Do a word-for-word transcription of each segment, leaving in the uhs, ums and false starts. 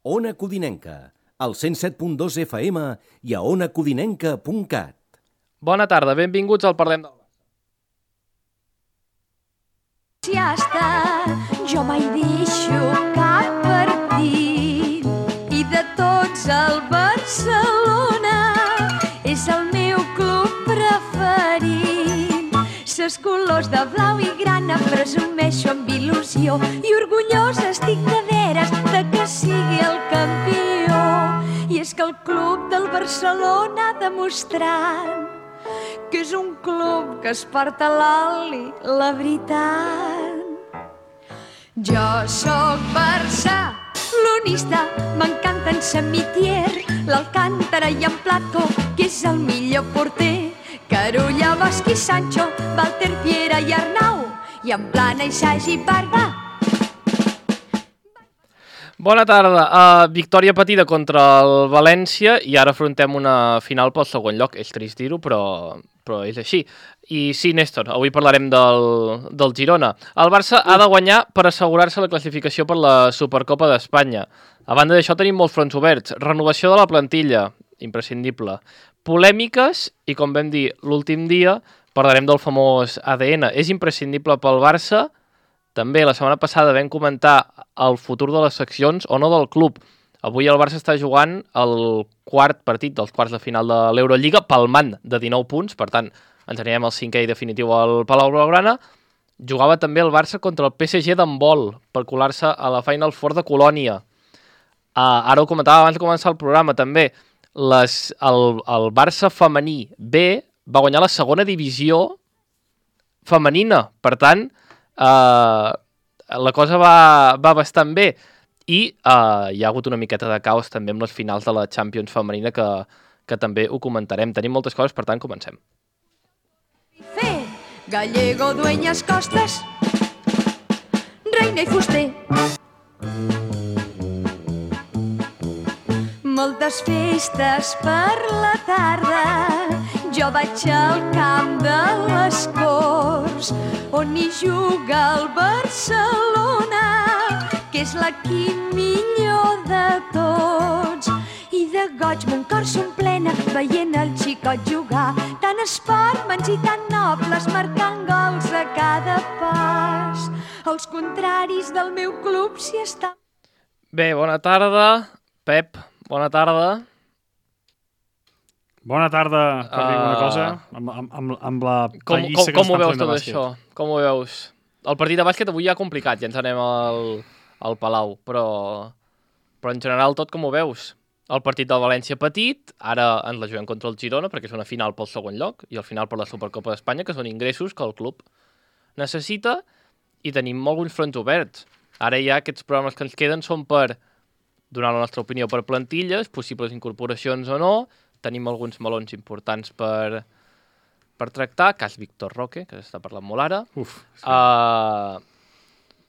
Ona Codinenca, al cent set punt dos F M i a ona codinenca punt cat. Bona tarda, benvinguts al Parlem del Barça. Si està, jo mai deixo cap partit i de tots el Barcelona és el meu club preferit. Ses colors de blau i grana presumeixo amb il·lusió i orgullós estic de veres de que sigui el campió. I és que el club del Barcelona ha demostrat que és un club que es porta l'oli, la veritat. Jo sóc barcelonista, m'encanta en Samitier, l'Alcántara i en Plató, que és el millor porter. Carulla, Bosch i Sancho, Walter, Piera i Arnau, i en Plana i Sagi Barba. Bona tarda. Uh, victòria patida contra el València i ara afrontem una final pel segon lloc. És trist dir-ho, però, però és així. I sí, Néstor, avui parlarem del, del Girona. El Barça ha de guanyar per assegurar-se la classificació per la Supercopa d'Espanya. A banda d'això tenim molts fronts oberts. Renovació de la plantilla, imprescindible. Polèmiques i, com vam dir l'últim dia, parlarem del famós A D N. És imprescindible pel Barça. També la setmana passada vam comentar el futur de les seccions o no del club. Avui el Barça està jugant el quart partit dels quarts de final de l'Eurolliga palmant de dinou punts, per tant ens anirem al cinquè i definitiu al Palau Blaugrana. Jugava també el Barça contra el P S G d'handbol per colar-se a la Final Four de Colònia. Uh, ara ho comentava abans de començar el programa també. Les, el, el Barça femení B va guanyar la segona divisió femenina, per tant Uh, la cosa va, va bastant bé i uh, hi ha hagut una miqueta de caos també amb les finals de la Champions femenina que, que també ho comentarem. Tenim moltes coses, per tant, comencem. Fe, Gallego, Dueñas, Costas, Reina i Fuster. Moltes festes per la tarda, jo vaig al camp de les Corts, on hi juga el Barcelona, que és l'equip millor de tots. I de goig mon cor s'omplena veient el xicot jugar, tan esportmans i tan nobles marcant gols a cada pas. Els contraris del meu club s'hi estan... Bé, bona tarda, Pep. Bona tarda. Bona tarda, per uh... dir una cosa, amb, amb, amb la pallissa que com ho estan veus fent de tot bàsquet. això? Com ho veus? El partit de bàsquet avui ja complicat, ja ens anem al, al Palau, però, però en general tot com ho veus? El partit del València petit, ara ens la juguem contra el Girona perquè és una final pel segon lloc i al final per la Supercopa d'Espanya, que són ingressos que el club necessita i tenim alguns fronts oberts. Ara ja aquests programes que ens queden són per donar la nostra opinió per plantilles, possibles incorporacions o no. Tenim alguns melons importants per, per tractar, cas Víctor Roque, que s'està parlant molt ara. Uf, sí. uh,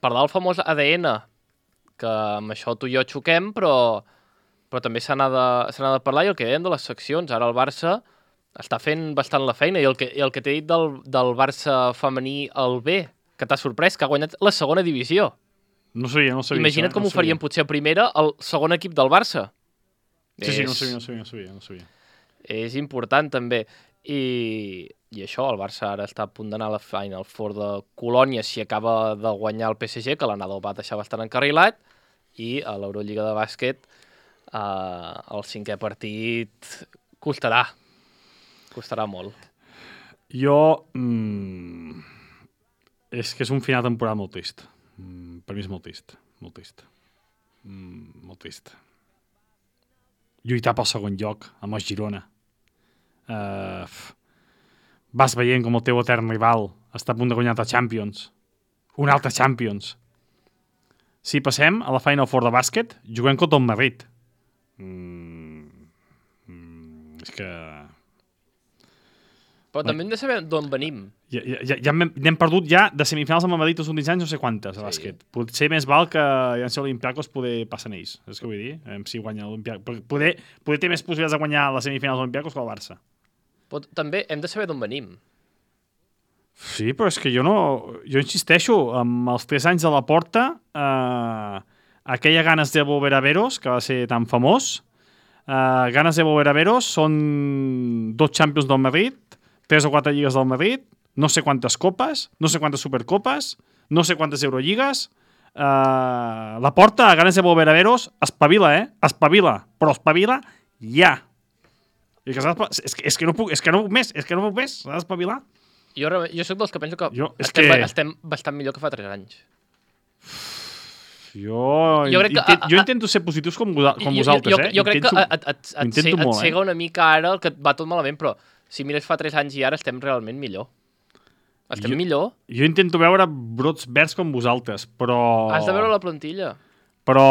parlar del famós A D N, que amb això tu i jo xoquem, però, però també se n'ha de, se n'ha de parlar, i el que dèiem de les seccions. Ara el Barça està fent bastant la feina, i el que, i el que t'he dit del, del Barça femení al B, que t'ha sorprès, que ha guanyat la segona divisió. No sabia, no sabia. Imagina't això, com no ho farien potser a primera el segon equip del Barça. Sí, és, sí, no sabia, no sabia, no sabia, no sabia. És important també. I, I això, el Barça ara està a punt d'anar a la Final Four de Colònia si acaba de guanyar el P S G, que l'anada el va deixar bastant encarrilat, i a l'Eurolliga de bàsquet eh, el cinquè partit costarà. Costarà molt. Jo... Mm, és que és un final de temporada molt trist. Mm, per mi és molt trist. Molt trist. Mm, molt trist. Lluitar pel segon lloc amb el Girona. Uh, vas veient com el teu etern rival està a punt de guanyar altre Champions. Un altre Champions. Si passem a la Final Four de bàsquet, juguem contra el Madrid. Mm, mm, és que... Però també hem de saber d'on venim. Ja, ja, ja n'hem perdut ja de semifinals amb el Madrid els últims anys no sé quantes a bàsquet. Sí. Potser més val que ja en sé l'Olimpiakos poder passen ells, és que vull dir, eh, si guanya l'Olimpiakos. Poder, poder té més possibilitats de guanyar les semifinals de l'Olimpiakos que el Barça. Però també hem de saber d'on venim. Sí, però és que jo no... Jo insisteixo, amb els tres anys de la porta, eh, aquella Ganas de volver a veros, que va ser tan famós, uh, Ganas de volver a veros són dos Champions del Madrid, tres o quatre lligues del Madrid, no sé quantes copes, no sé quantes supercopes, no sé quantes Eurolligues. Uh, la porta, Ganas de volver a veros, espavila, eh? Espavila, però espavila ja. I que és, que, és, que no puc, és que no puc més, és que no puc més, s'ha d'espavilar. Jo, jo soc dels que penso que, jo, estem, que... estem bastant millor que fa tres anys. Jo, jo, crec que, a, a, jo intento ser positius com, com jo, vosaltres, jo, jo, eh? jo crec intento, que et, et, et, et, et molt, cega eh? una mica ara el que et va tot malament, però si mires fa tres anys i ara estem realment millor. Estem jo, millor. Jo intento veure brots verds com vosaltres, però... Has de veure la plantilla. Però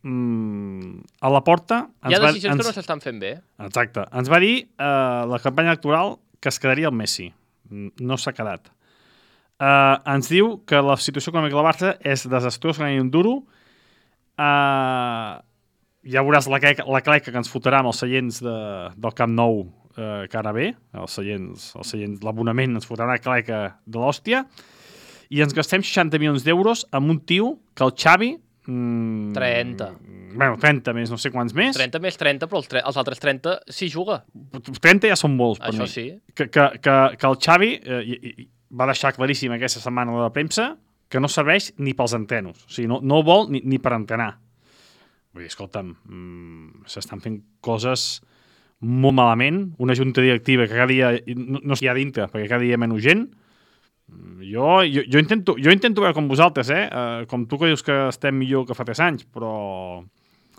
mm, a la porta... Hi ha decisions va, ens, que no s'estan fent bé. Exacte. Ens va dir uh, la campanya electoral que es quedaria el Messi. No s'ha quedat. Uh, ens diu que la situació econòmica del Barça és desastrosa, que un duro. Uh, ja veuràs la, la cleca que ens fotrà amb els seients de, del Camp Nou uh, que ara ve. Els seients, els seients, l'abonament ens fotrà una cleca de l'hòstia. I ens gastem seixanta milions d'euros amb un tio que el Xavi... Mm, trenta. Bueno, trenta més, no sé quants més. trenta més trenta, però els, tre els altres trenta s'hi juga. trenta ja són molts, per Això mi. sí. Que, que, que, que el Xavi eh, i, i, va deixar claríssim aquesta setmana a la premsa que no serveix ni pels entrenos. O sigui, no, no vol ni, ni per entrenar. Vull dir, escolta'm, mmm, s'estan fent coses molt malament. Una junta directiva que cada dia no, no hi ha dintre, perquè cada dia hi ha menys gent. Jo, jo, jo, intento, jo intento veure com vosaltres, eh? Uh, com tu que dius que estem millor que fa tres anys, però...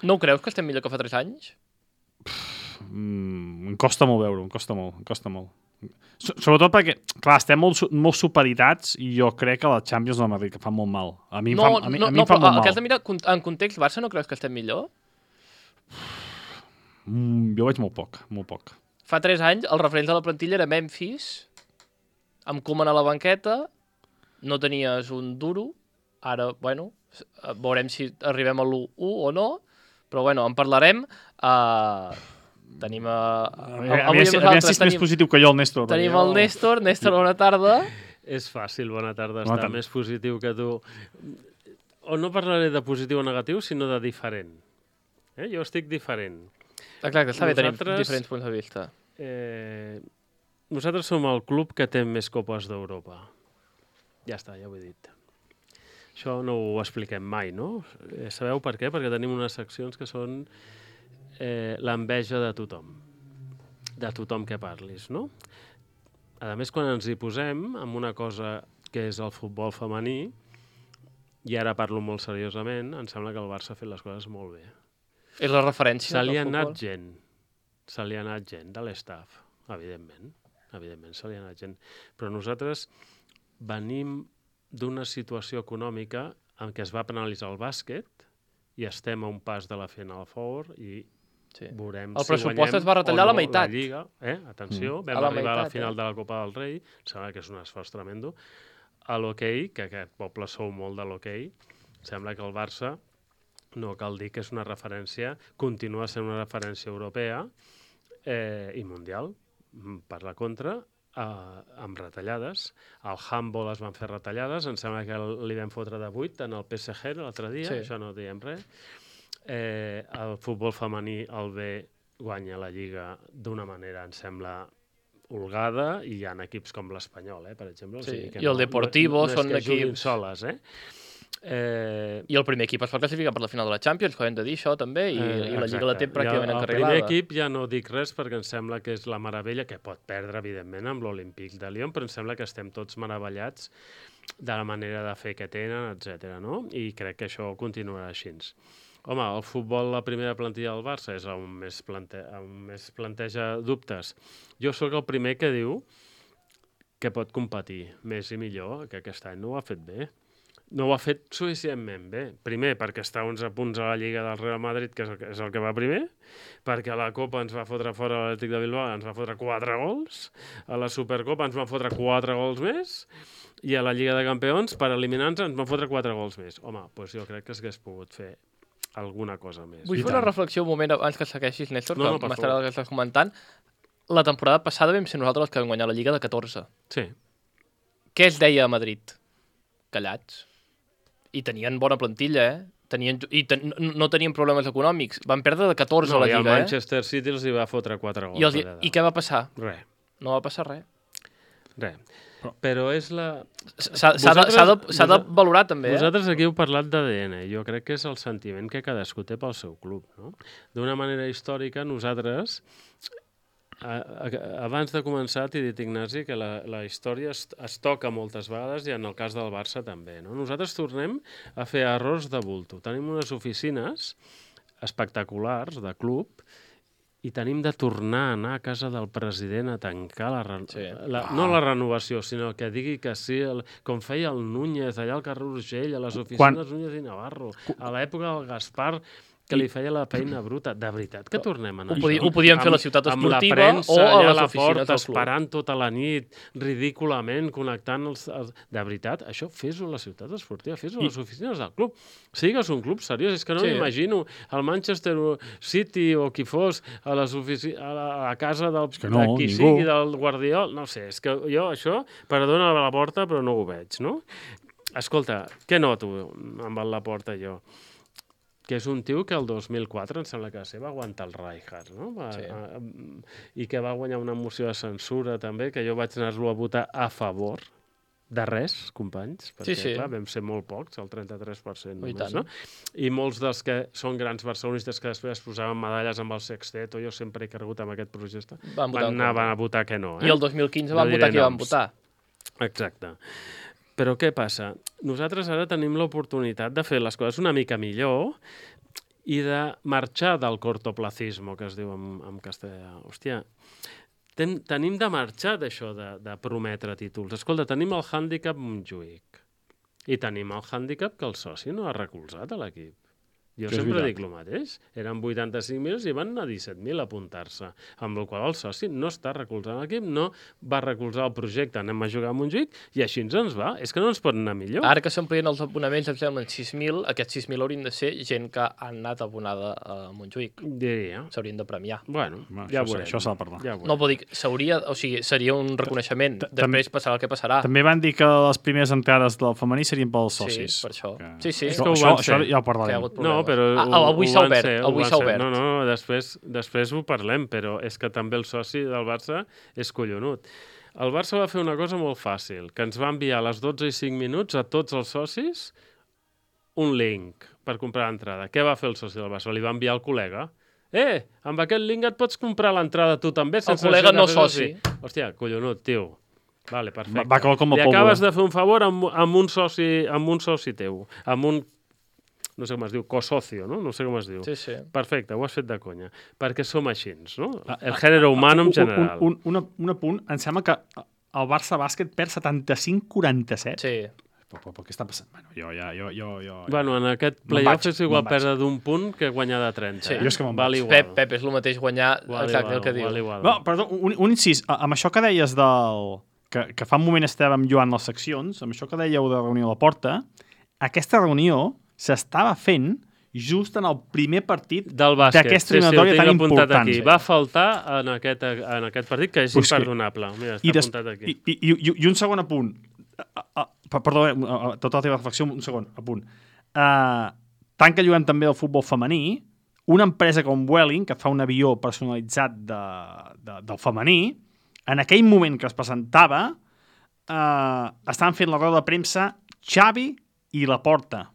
No ho creus que estem millor que fa tres anys? Pff, mm, em costa molt veure, em costa molt, em costa molt. So, sobretot perquè, clar, estem molt, molt supeditats i jo crec que la Champions del Madrid que fa molt mal. A mi em no, fa, a mi, no, a mi no, em fa però molt mal. El que has de mirar en context Barça, no creus que estem millor? Mm, jo veig molt poc, molt poc. Fa tres anys el referent de la plantilla era Memphis, amb Koeman a la banqueta, no tenies un duro, ara, bueno, veurem si arribem a l'u u o no, però bueno, en parlarem. Uh, tenim a... A veure si és més positiu que jo, el Néstor. Tenim el Néstor, Néstor, bona tarda. És fàcil, bona tarda, bona estar tarda. Més positiu que tu. O no parlaré de positiu o negatiu, sinó de diferent. Eh? Jo estic diferent. Exacte, està bé tenir Nosaltres, diferents punts de vista. Eh, nosaltres som el club que té més copes d'Europa. Ja està, ja ho he dit. Això no ho expliquem mai, no? Eh, sabeu per què? Perquè tenim unes seccions que són eh, l'enveja de tothom. De tothom que parlis, no? A més, quan ens hi posem amb una cosa que és el futbol femení, i ara parlo molt seriosament, em sembla que el Barça ha fet les coses molt bé. És la referència Se li ha del anat futbol? gent. Se li ha anat gent de l'estaf, evidentment. Evidentment, se li ha anat gent. Però nosaltres venim d'una situació econòmica en què es va penalitzar el bàsquet i estem a un pas de la Final Four i Sí. veurem El si pressupost guanyem es va retallar o a la no meitat. La Lliga. Eh? Atenció, Mm. vam A la arribar a la meitat, final eh? de la Copa del Rei, sembla que és un esforç tremendo. A l'hoquei, que aquest poble sou molt de l'hoquei, sembla que el Barça, no cal dir que és una referència, continua sent una referència europea eh, i mundial, per la contra, eh, amb retallades. Al handball es van fer retallades, em sembla que li vam fotre de vuit en el P S G l'altre dia, Sí. això no diem res. Eh, el futbol femení, el B, guanya la Lliga d'una manera, em sembla, holgada, i hi ha equips com l'Espanyol, eh, per exemple. Sí, O sigui que i el Deportivo no, no, no són és que juguin equips- soles, eh? Eh, I el primer equip es va classificar per la final de la Champions, que ho hem de dir, això també, i, Eh, i la Lliga la té exacte. pràcticament I el, encarrilada. El primer equip ja no dic res perquè em sembla que és la meravella, que pot perdre, evidentment, amb l'Olímpic de Lyon, però em sembla que estem tots meravellats de la manera de fer que tenen, etcètera, no? I crec que això continuarà així. Home, el futbol, la primera plantilla del Barça, és on més, plante on més planteja dubtes. Jo sóc el primer que diu que pot competir més i millor, que aquest any no ho ha fet bé. No ho ha fet suficientment bé. Primer, perquè està a onze punts a la Lliga del Real Madrid, que és el que, és el que va primer, perquè a la Copa ens va fotre fora l'Atlètic de Bilbao, ens va fotre quatre gols, a la Supercopa ens van fotre quatre gols més, i a la Lliga de Campions, per eliminar-nos, ens van fotre quatre gols més. Home, doncs jo crec que s'hagués pogut fer alguna cosa més. Vull fer una reflexió un moment abans que segueixis, Néstor, No, no, que per m'estarà favor. el que estàs comentant. La temporada passada vam ser nosaltres els que vam guanyar la Lliga de catorze. Sí. Què es deia a Madrid? Callats. I tenien bona plantilla, eh? tenien, i ten, no tenien problemes econòmics. Van perdre de catorze no, a la Lliga, Lliga, el Manchester City els hi va fotre quatre gols. eh? I, els, I què va passar? Res. No va passar res. Res. Però és la... S'ha de, de, de valorar també, eh? Vosaltres aquí heu parlat d'A D N. Jo crec que és el sentiment que cadascú té pel seu club, no? D'una manera històrica, nosaltres, a, a, abans de començar, t'he dit, Ignasi, que la, la història es, es toca moltes vegades i en el cas del Barça també, no? Nosaltres tornem a fer errors de bulto. Tenim unes oficines espectaculars de club i tenim de tornar a anar a casa del president a tancar la, sí. la no la renovació, sinó que digui que sí, el, com feia el Núñez allà al carrer Urgell, a les oficines Quan... Núñez i Navarro, a l'època del Gaspar, que li feia la feina bruta. De veritat que tornem a anar. Ho, podí, ho podíem fer a la ciutat esportiva amb la premsa, o a les la oficines porta, del club. Esperant tota la nit, ridículament, connectant els, els... De veritat, això fes-ho a la ciutat esportiva, fes-ho a les oficines del club. Sigues un club seriós, és que no sí. m'imagino el Manchester City o qui fos a, les ofici... a, la, a la casa del, és que no, de qui ningú. sigui, del Guardiol, no sé, és que jo això, perdona la porta, però no ho veig, no? Escolta, què noto amb la porta jo? Que és un tio que el dos mil quatre, em sembla que va ser, va aguantar el Rijkaard, no? Va, sí. a, a, I que va guanyar una moció de censura, també, que jo vaig anar-lo a votar a favor de res, companys, perquè, sí, sí. clar, vam ser molt pocs, el trenta-tres per cent només, I no? I molts dels que són grans barcelonistes que després posaven medalles amb el Sexteto, jo sempre he cregut en aquest projecte, van, van anar van a votar que no. Eh? I el dos mil quinze no van votar qui van votar. Exacte. Però què passa? Nosaltres ara tenim l'oportunitat de fer les coses una mica millor i de marxar del cortoplacismo, que es diu en, en castellà. Hòstia, ten, tenim de marxar d'això de, de prometre títols. Escolta, tenim el hàndicap Montjuïc i tenim el hàndicap que el soci no ha recolzat a l'equip. Jo que sempre dic el mateix. Eren vuitanta-cinc mil i van anar disset mil a apuntar-se, amb el qual el soci no està recolzant l'equip, no va recolzar el projecte, anem a jugar a Montjuïc, i així ens ens va. És que no ens pot anar millor. Ara que s'amplien els abonaments, em semblen sis mil, aquests sis mil haurien de ser gent que han anat abonada a Montjuïc. Diria. S'haurien de premiar. Bueno, no, ja això, veurem. Això s'ha de parlar. Ja no, vol dir, s'hauria, o sigui, seria un reconeixement. Després passarà el que passarà. També van dir que les primeres entrades del femení serien pels socis. Sí, per això. Que... Sí, sí. Això, això, això ja ho parlarem. No, però... Ah, avui s'ha obert. Ser, avui s'ha obert. No, no, després, després ho parlem, però és que també el soci del Barça és collonut. El Barça va fer una cosa molt fàcil, que ens va enviar a les dotze i cinc minuts a tots els socis un link per comprar l'entrada. Què va fer el soci del Barça? Li va enviar al col·lega. Eh, amb aquest link et pots comprar l'entrada tu també? El col·lega no soci. Hòstia, collonut, tio. Vale, perfecte. Va, va com a Li pólvora. acabes de fer un favor amb, amb, un soci, amb un soci teu, amb un no sé com es diu, cosocio, no? No sé com es diu. Sí, sí. Perfecte, ho has fet de conya. Perquè som així, no? El gènere humano en general. Un, un, un, un apunt, em sembla que el Barça Bàsquet perd setanta-cinc quaranta-set. Sí. Però, però, però què està passant? Bueno, jo ja... Jo, jo, jo, bueno, en aquest playoff és igual perdre d'un punt que guanyar de trenta. Sí. Eh? Jo és que me'n val vaig. Pep, Pep, és el mateix guanyar val exacte igual, el que diu. Val igual. No, perdó, un, un incís. Amb això que deies del... Que, que fa un moment estàvem jugant les seccions, amb això que dèieu de reunió a la porta, aquesta reunió s'estava fent just en el primer partit d'aquesta eliminatòria sí, sí, tan important. Aquí. Va faltar en aquest, en aquest partit, que és pues imperdonable. Mira, està I des, apuntat aquí. I, i, i, I un segon apunt. Uh, uh, perdó, uh, tota la teva reflexió, un segon apunt. Uh, tant que jugant també el futbol femení, una empresa com Vueling, que fa un avió personalitzat de, de, del femení, en aquell moment que es presentava, uh, estaven fent la roda de premsa Xavi i Laporta.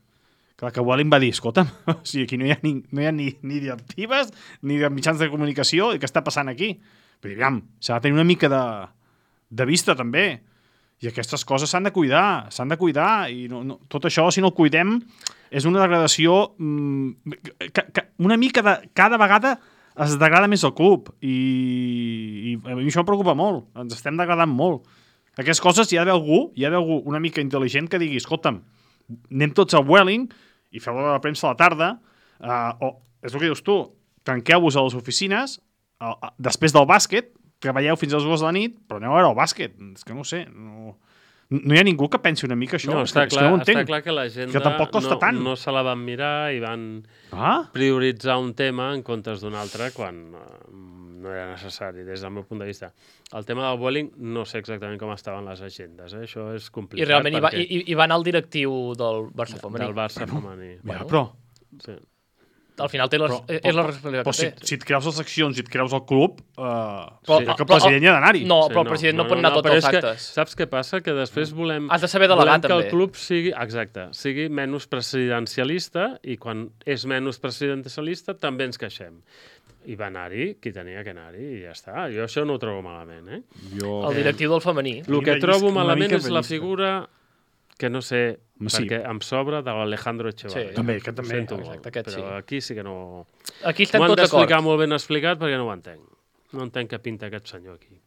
Clar, que Vueling va dir, escolta'm, o sigui, aquí no hi ha ni, no hi ha ni, ni directives, ni de mitjans de comunicació, i què està passant aquí? Però, aviam, s'ha de tenir una mica de, de vista, també. I aquestes coses s'han de cuidar, s'han de cuidar, i no, no, tot això, si no el cuidem, és una degradació mmm, que, que una mica de... Cada vegada es degrada més el club, i, i a mi això em preocupa molt, ens estem degradant molt. Aquestes coses hi ha d'haver algú, hi ha d'haver algú una mica intel·ligent que digui, escolta'm, anem tots a Vueling i feu la premsa a la tarda, uh, o és el que dius tu, tanqueu-vos a les oficines, uh, uh, després del bàsquet, treballeu fins a les dues de la nit, però aneu a veure el bàsquet. És que no ho sé, no, no hi ha ningú que pensi una mica això. No, està, és clar, que no està clar que l'agenda que tampoc costa no, tant. no se la van mirar i van ah? prioritzar un tema en comptes d'un altre quan uh, no era necessari, des del meu punt de vista. El tema del Vueling no sé exactament com estaven les agendes, eh? Això és complicat. I realment perquè... hi, va, hi, hi va anar el directiu del Barça femení. Del Barça femení. Bueno, però Sí. Al final té les, Però- és però- la responsabilitat Però que si, té. si et creus les seccions i et creus el club, eh, Però- sí, que el però- president hi ha d'anar-hi. No, Sí, però el president no, pot anar a tots però els és que, actes. saps què passa? Que després volem... Has de saber delegar, volem que també. el club sigui, exacte, sigui menys presidencialista i quan és menys presidencialista també ens queixem. I va anar-hi qui tenia que anar-hi i ja està. Jo això no ho trobo malament, eh? Jo... El directiu del femení. El que Una trobo llisca- una malament mica és la rellisca. figura que no sé, Sí. perquè em sobra de l'Alejandro Echevarría. Sí. També, que també, Ho sento exacte, molt, aquest però sí. aquí sí que no... Aquí estem M'ho han tots d'explicar d'acord. molt ben explicat perquè no ho entenc. No entenc què pinta aquest senyor aquí.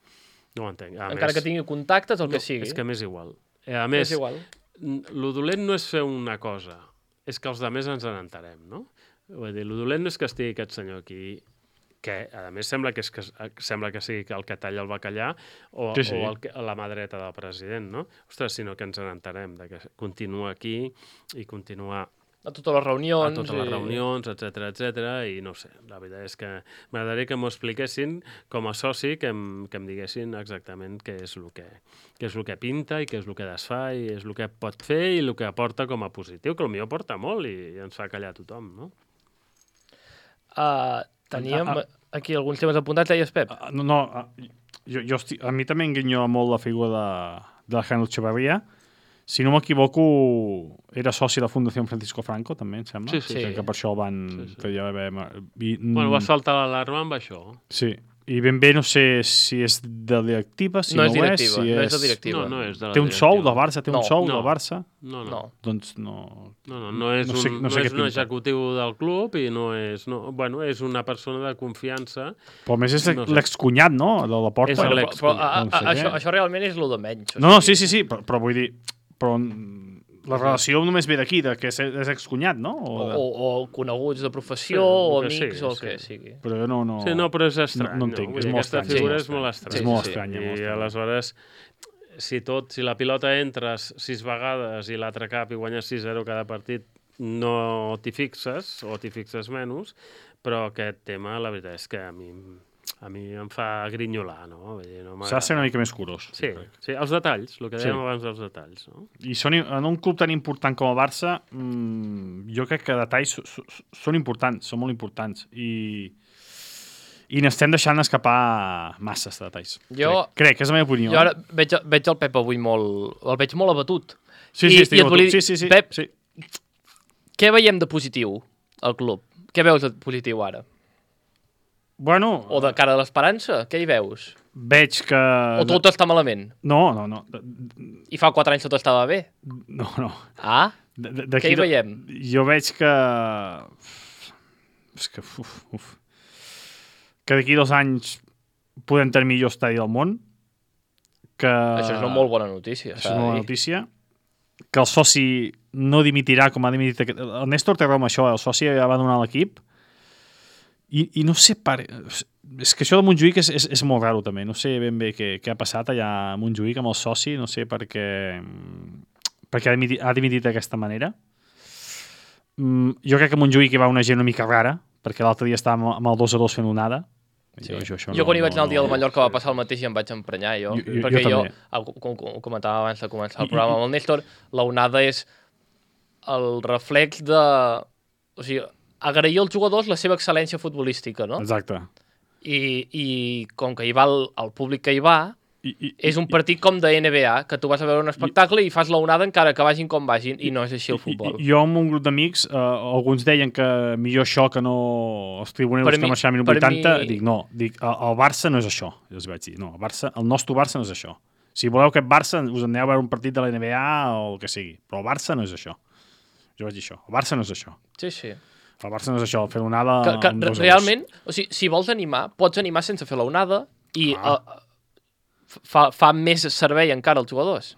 No ho entenc. A Encara més, que tingui contactes, el no, que sigui. És que m'és igual. Eh, A És més, igual. el dolent no és fer una cosa, és que els altres ens n'entarem, no? Vull dir, el dolent no és que estigui aquest senyor aquí, que a més sembla que, és que sembla que sigui el que talla el bacallà o, Sí, sí. o el, que- la mà dreta del president, no? Ostres, sinó que ens n'entarem, de que continua aquí i continua A totes les a reunions. totes les i- reunions, etc etc i no sé, la veritat és que m'agradaria que m'ho expliquessin com a soci, que em, que em diguessin exactament què és el que, què és el que pinta i què és el que desfà i és el que pot fer i el que aporta com a positiu, que potser aporta molt i, i ens fa callar tothom, no? Uh, teníem Ah, ah. aquí alguns temes apuntats, deies, Pep? Ah, No, no, ah, jo, jo estic, a mi també em guinyola molt la figura de, de Alejandro Echevarría. Si no m'equivoco, era soci de la Fundació Francisco Franco, també, em sembla. Sí, sí, sí. Que, que per això el van... Sí, sí. Que ja vam, i, Bueno, va saltar l'alarma amb això. Sí, i ben bé no sé si és de directiva, si no, no, és directiva, és, si no és de directiva. No, no és de la Té un directiva. sou del Barça, té No, un sou no. del Barça, No, no. No. doncs no... No, no, no és, No sé- un, no no sé què és un pinta. executiu del club i no és... No, bueno, és una persona de confiança. Però a més és No sé. l'excunyat, no?, de la porta. És Bueno, l'ex- però, però a, no a, sé això, què. això realment és el de menys. o No, no, sigui, sí, sí, sí, però, però vull dir... Però mm, la relació només ve d'aquí, de que és, és excunyat, no? O, O, de... o, o coneguts de professió, Sí, o el que amics, sigui, o el sí. que sigui. Però jo no... no... Sí, no, però és estrany. No- no entenc, Vull és dir, molt aquesta estrany, figura sí, és molt sí, estranya. és molt estranya, I molt estranya. aleshores, si tot, si la pilota entres sis vegades i l'altre cap i guanyes sis zero cada partit, no t'hi fixes, o t'hi fixes menys, però aquest tema, la veritat és que a mi, a mi em fa grinyolar, no? Vull dir, no S'ha de ser una mica més curós. Sí, sí, els detalls, el que Sí. dèiem abans dels detalls, no? I són, en un club tan important com el Barça, mmm, jo crec que detalls so, so, són importants, són molt importants. I, i n'estem deixant escapar masses de detalls. Jo- Crec, crec, és la meva opinió. Jo ara eh? veig, veig el Pep avui molt... El veig molt abatut. Sí, i- sí, estic i et amb volia tu. dir, Sí, sí, sí. Pep, sí. Què veiem de positiu al club? Què veus de positiu ara? Bueno, O de cara a l'esperança? Què hi veus? veig que... O tot està malament? No, no, no. I fa quatre anys tot estava bé? No, no. Ah? D- d- Què d'aquí hi de- veiem? Jo veig que... És que... Uf, uf. Que d'aquí dos anys podem tenir millor estadi del món. Que... Això és una molt bona notícia. Això s'ha és de una bona dir. notícia. Que el soci no dimitirà com ha dimitit... Aquest... El Néstor té raó amb això, el soci ja va donar l'equip. I, I no sé... Per... És que això de Montjuïc és, és, és molt raro, també. No sé ben bé què, què ha passat allà a Montjuïc amb el soci. No sé per què... perquè ha dimitit, ha dimitit d'aquesta manera. Mm, jo crec que a Montjuïc hi va una gent una mica rara, perquè l'altre dia estàvem amb el dos a dos fent onada. Sí. Jo, això, això jo quan hi vaig anar el dia no, del Mallorca va passar el mateix i em vaig emprenyar, jo. Jo- jo- perquè jo jo, també. ah, com, com ho comentava abans de començar el programa amb el Néstor, la onada és el reflex de... O sigui, agrair als jugadors la seva excel·lència futbolística, no? Exacte. I, i com que hi va el, el públic que hi va, I, i, és un partit com de N B A, que tu vas a veure un espectacle i fas la onada encara que vagin com vagin, i no és així el futbol. I, i, jo amb un grup d'amics, eh, alguns deien que millor això que no els tribuneros Per que mi- marxaven a per vuitanta, mi- dic no, dic, el, el Barça no és això, jo els vaig dir, no, el, Barça, el nostre Barça no és això. Si voleu aquest Barça, us aneu a veure un partit de la N B A o el que sigui, però el Barça no és això. Jo vaig dir això, el Barça no és això. Sí, sí. El Barça no és això, fer onada... Que, que amb dos a dos. realment, o sigui, si vols animar, pots animar sense fer la onada i Ah. uh, fa, fa més servei encara als jugadors.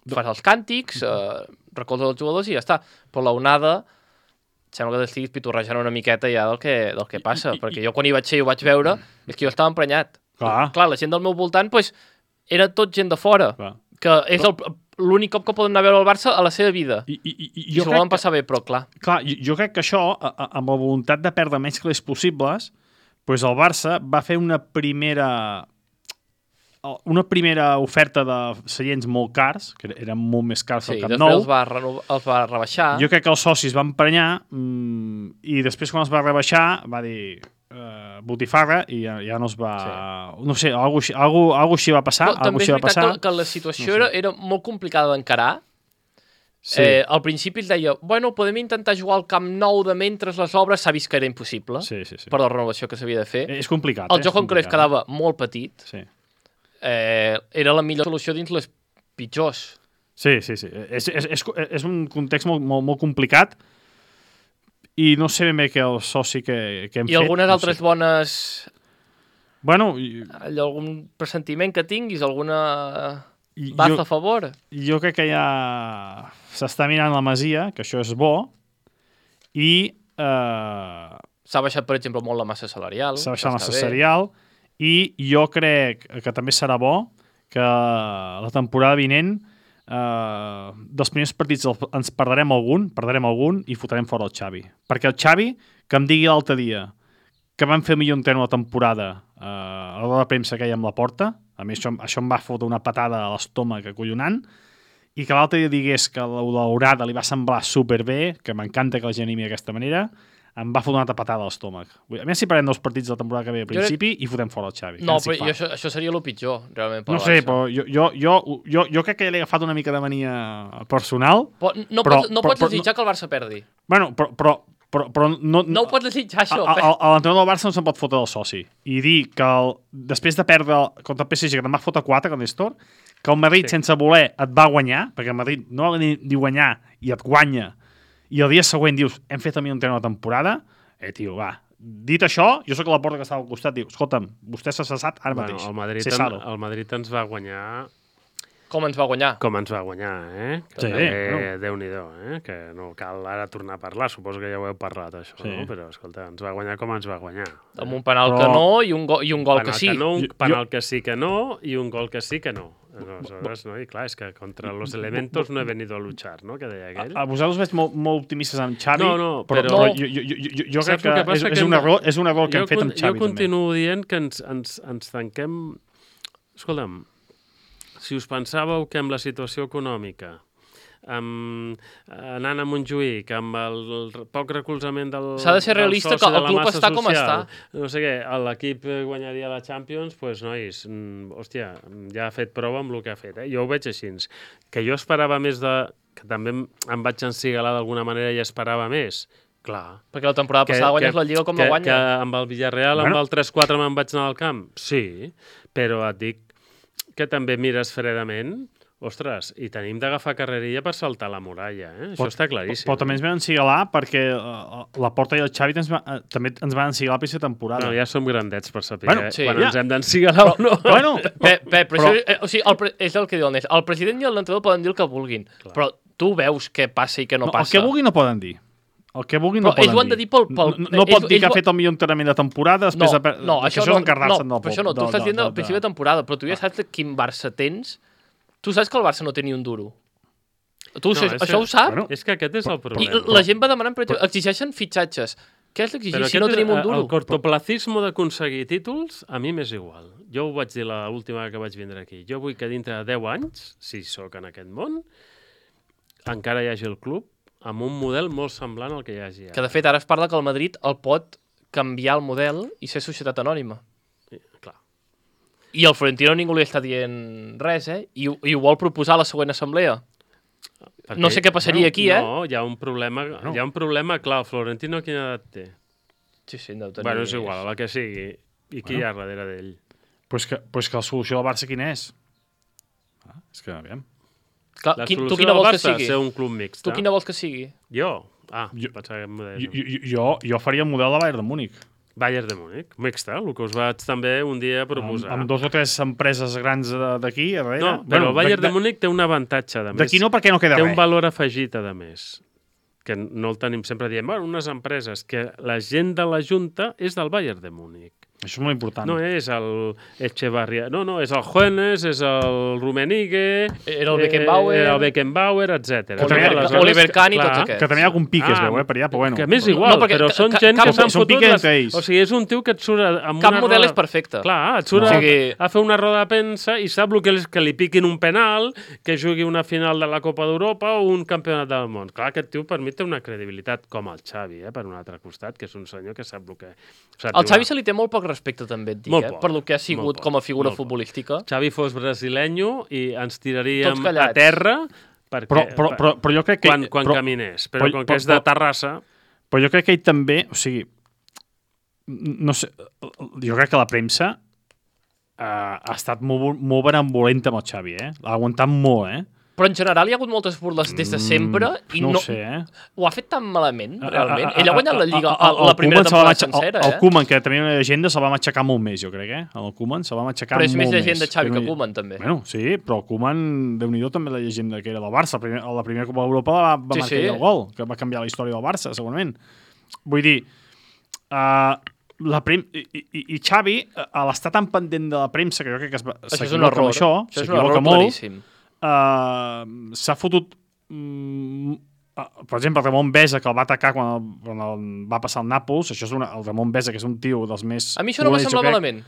Fas els càntics, uh, recolzes els jugadors i ja està. Però la onada sembla que t'estiguis pitorrejant una miqueta ja del que, del que passa, I- i- perquè jo quan hi vaig ser i ho vaig veure, és que jo estava emprenyat. Clar. Clar, la gent del meu voltant, pues, era tot gent de fora, Clar. que és el- l'únic cop que poden anar a veure el Barça a la seva vida. I, I, i, i I jo s'ho crec volen passar bé, però clar. Clar, jo, jo crec que això, a, a, amb la voluntat de perdre menys calés possibles, doncs el Barça va fer una primera... una primera oferta de seients molt cars, que eren molt més cars Sí, que el Camp després Nou. els va, renova, els va rebaixar. Jo crec que els socis van prenyar mmm, i després quan els va rebaixar va dir uh, botifarra i ja, ja no es va... Sí. No sé, alguna cosa, alguna, alguna així va passar. Però també és va veritat passar. que, que la situació No sé. era, era molt complicada d'encarar. Sí. Eh, al principi es deia, bueno, podem intentar jugar al Camp Nou de mentre les obres, s'ha vist que era impossible, Sí, sí, sí. per la renovació que s'havia de fer. És complicat. El eh? joc És en Cruyff complicat. quedava molt petit. Sí. Eh, era la millor solució dins les pitjors. Sí, sí, sí. És, és, és, és un context molt, molt, molt complicat i no sé ben bé què el soci que, que hem I fet. algunes no altres sé. bones... Bueno, i, Allò, algun pressentiment que tinguis, alguna I baza jo- a favor. jo crec que ja s'està mirant la masia, que això és bo, i eh, S'ha baixat, per exemple, molt la massa salarial. s'ha baixat la que massa està bé. salarial, i jo crec que també serà bo que la temporada vinent eh, dels primers partits el- ens perdrem algun, perdrem algun i fotrem fora el Xavi. Perquè el Xavi, que em digui l'altre dia que van fer millor entren la temporada eh, a l'hora de premsa que hi ha amb la porta, a mi això, això em va fotre una patada a l'estómac acollonant, i que l'altre dia digués que la daurada li va semblar superbé, que m'encanta que la gent animi d'aquesta manera, em va fotre una altra patada a l'estómac. Vull dir, A més, si parem dels partits de la temporada que ve a principi i fotem fora el Xavi. No, que però fa. jo, això, això seria el pitjor, realment, pel No sé, Barça. però jo, jo, jo, jo, jo crec que l'he agafat una mica de mania personal. Però no, però- pots, no però- pots però- desitjar que el Barça perdi. Bueno, però, però, però, però no, No ho pots desitjar, això. a- a- a l'entrenador del Barça no se'n pot fotre del soci. I dir que el, després de perdre contra el P S G, que te'n va fotre quatre, com Néstor, que el Madrid, Sí. sense voler, et va guanyar, perquè el Madrid no ha ni, ni guanyar i et guanya, i el dia següent dius, hem fet a mi un tren de temporada, eh, tio, va. Dit això, jo sóc a la porta que estava al costat, diu, escolta'm, vostè s'ha cessat ara Bueno, mateix. el, Madrid, Se en, salo. el Madrid ens va guanyar Com ens va guanyar? com ens va guanyar, eh? Que Sí, també, bueno. Déu-n'hi-do, eh? Que no cal ara tornar a parlar, suposo que ja ho heu parlat, això, Sí. no? Però, escolta, ens va guanyar com ens va guanyar. Amb un penal Però- que no i un, go i un gol penal que sí. Que no, un Jo- penal que sí que no i un gol que sí que no. Aleshores, no? I clar, és que contra los elementos no he venido a luchar, no? Que deia aquell. A, a vosaltres veig molt, molt optimistes amb Xavi, No, no, però, però- però No. jo, jo, jo, jo, jo crec Saps el que, que passa? és, Que és, un hem- error, és un error que jo hem fet con- amb Xavi. Jo continuo dient que ens, ens, ens tanquem... Escolta'm, si us pensàveu que amb la situació econòmica, amb, anant a Montjuïc, amb el, el poc recolzament del S'ha de ser del realista soci que de el la club massa està com social, està. no sé què, l'equip guanyaria la Champions, doncs, pues, nois, mm, hòstia, ja ha fet prova amb el que ha fet. Eh? Jo ho veig així. Que jo esperava més de... que també em, em vaig encigalar d'alguna manera i esperava més. Clar. Perquè la temporada passada guanyes la Lliga com que, la guanya. Que amb el Villarreal, Bueno. amb el tres quatre me'n vaig anar al camp? Sí, però et dic que també mires fredament, ostres, i tenim d'agafar carrerilla per saltar la muralla, eh? Això està claríssim. Però també ens van encigalar perquè uh, la Porta i el Xavi ens va, uh, també ens van encigalar per aquesta temporada. No, ja som grandets per saber Bueno, bueno, sí, quan ja. ens hem d'encigalar o no. Bueno, Pe, pe, però, però- això, eh, o sigui, el, pre- és el que diu el Nes. El president i l'entrenador poden dir el que vulguin, Clar. però tu veus què passa i què no, no, el passa. que vulguin no poden dir. El que vulguin no Però ells poden ho han de dir pel- pel- No, no ells- pot dir ells que ha ho- fet el millor entrenament de temporada després No, de... per- no, que això, això no, és encarregar-se no, del però això no, tu del- estàs dient del- al principi de temporada, però tu ja saps de quin Barça tens. Tu saps que el Barça no té ni un duro. Tu No, això, és això que- ho sap? Bueno, És que aquest és el I problema. la gent va demanant, per exemple, exigeixen fitxatges. Què has d'exigir Però si no aquest tenim és un el- duro? El cortoplacismo d'aconseguir títols, a mi m'és igual. Jo ho vaig dir l'última vegada que vaig vindre aquí. Jo vull que dintre de deu anys, si sóc en aquest món, encara hi hagi el club amb un model molt semblant al que hi hagi Que, ara. de fet, ara es parla que el Madrid el pot canviar el model i ser societat anònima. I, clar. I al Florentino ningú li està dient res, eh? I, ho- i ho vol proposar a la següent assemblea. Perquè, No sé què passaria aquí, eh? No, hi ha un problema, Bueno. hi ha un problema clar. El Florentino quina edat té? Sí, sí, deu tenir... Bueno, és igual, la que sigui. I qui Bueno. hi ha darrere d'ell? pues que, pues que la solució del Barça quina és? Ah, és que, aviam. Clar, La quin, solució tu quina del vols que Barça, sigui? ser un club mixt. Tu quina vols que sigui? Jo? Ah, Jo- pensava que em deies. Jo, jo, jo, jo faria el model de Bayern de Múnich. Bayern de Múnich, mixta, el que us vaig també un dia Amb, proposar. amb dos o tres empreses grans de- d'aquí, a darrere. No, però el Bayern de, de Múnich té un avantatge, de més. D'aquí no, perquè no queda Té res. un valor afegit, a més, que no el tenim sempre dient, bueno, unes empreses, que la gent de la Junta és del Bayern de Múnich. Això és molt important. No és el Echevarria, no, no, és el Juenes, és el Rummenigge... Era el Beckenbauer... Era el Beckenbauer, etcètera. Oliver, Aleshores, Oliver Kahn i clar, tots aquests. Que també hi ha algun pic, es Ah, veu, eh, per allà, però bueno. Que m'és igual, No, perquè però són ca- gent cap- que s'han són fotut... piques les- entre ells. O sigui, és un tio que et surt amb Cap una model roda... és perfecte. Clar, et surt No. a, O sigui- a fer una roda de premsa i sap el que és que li piquin un penal, que jugui una final de la Copa d'Europa o un campionat del món. Clar, aquest tio per mi té una credibilitat com el Xavi, eh, per un altre costat, que és un senyor que sap el que... Sap Al Xavi jugar. se li té molt poc respecte, també et dic, Molt eh? poc, Per lo que ha molt sigut poc, com a figura molt poc. futbolística. Xavi fos brasilenyo i ens tiraríem Tots callats. a terra perquè, Però, però, però, però jo crec que... quan, quan però, caminés. Però, però- com però- que és de però- Terrassa... Però jo crec que ell també... O sigui, no sé... Jo crec que la premsa uh, ha estat molt, molt benevolenta amb el Xavi, eh? L'ha aguantat molt, eh? Però en general hi ha hagut moltes burles des de sempre i no no, ho sé, eh? ho ha fet tan malament, A- a- realment. a- Ell ha guanyat la Lliga a- a- la el primera Koeman se va temporada matxa- sencera, el, el eh? Koeman, que tenia una llegenda, se'l va matxacar molt més, jo crec, eh? El Koeman se'l va matxacar Però és molt més més. llegenda Xavi no que hi- Koeman, també. Bueno, sí, però el Koeman, Déu-n'hi-do, també la llegenda que era del Barça. Primer, a la primera Copa d'Europa va, va Sí, marcar sí. el gol, que va canviar la història del Barça, segurament. Vull dir, uh, la prem i, i, i Xavi, a l'estar tan pendent de la premsa, que jo crec que es va- Això és un s'equivoca error. amb això, Això és un s'equivoca error molt, claríssim. uh, s'ha fotut mm, uh, per exemple, el Ramon Besa, que el va atacar quan, el, quan el va passar al Nàpols, això és una, el Ramon Besa, que és un tio dels més... A mi això no m'ha dolents, jo semblat crec. malament.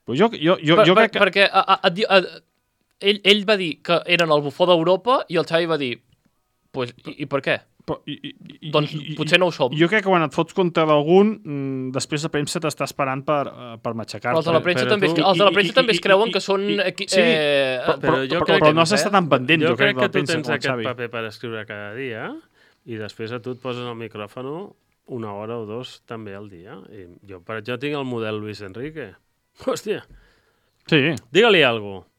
Però jo, jo, jo, Per, jo per, crec que... Perquè a, a, a, a, ell, ell va dir que eren el bufó d'Europa i el Xavi va dir pues, i, i per què? Però, i, i, i, Doncs i- i- potser no ho som. Jo crec que quan et fots contra d'algun, mm, després la premsa t'està esperant per, uh, per matxacar-te. Però els de la premsa però també, tu- es, els de la i- premsa i- també es i- creuen i- que són... i- Equi, sí, eh, però, però, jo però, crec però que- no has d'estar tan pendent, Jo, jo, crec, crec de que la tu premsa tens com el aquest Xavi. paper per escriure cada dia i després a tu et poses el micròfon una hora o dos també al dia. I jo, per exemple, tinc el model Luis Enrique. Hòstia, Sí, digue-li alguna cosa.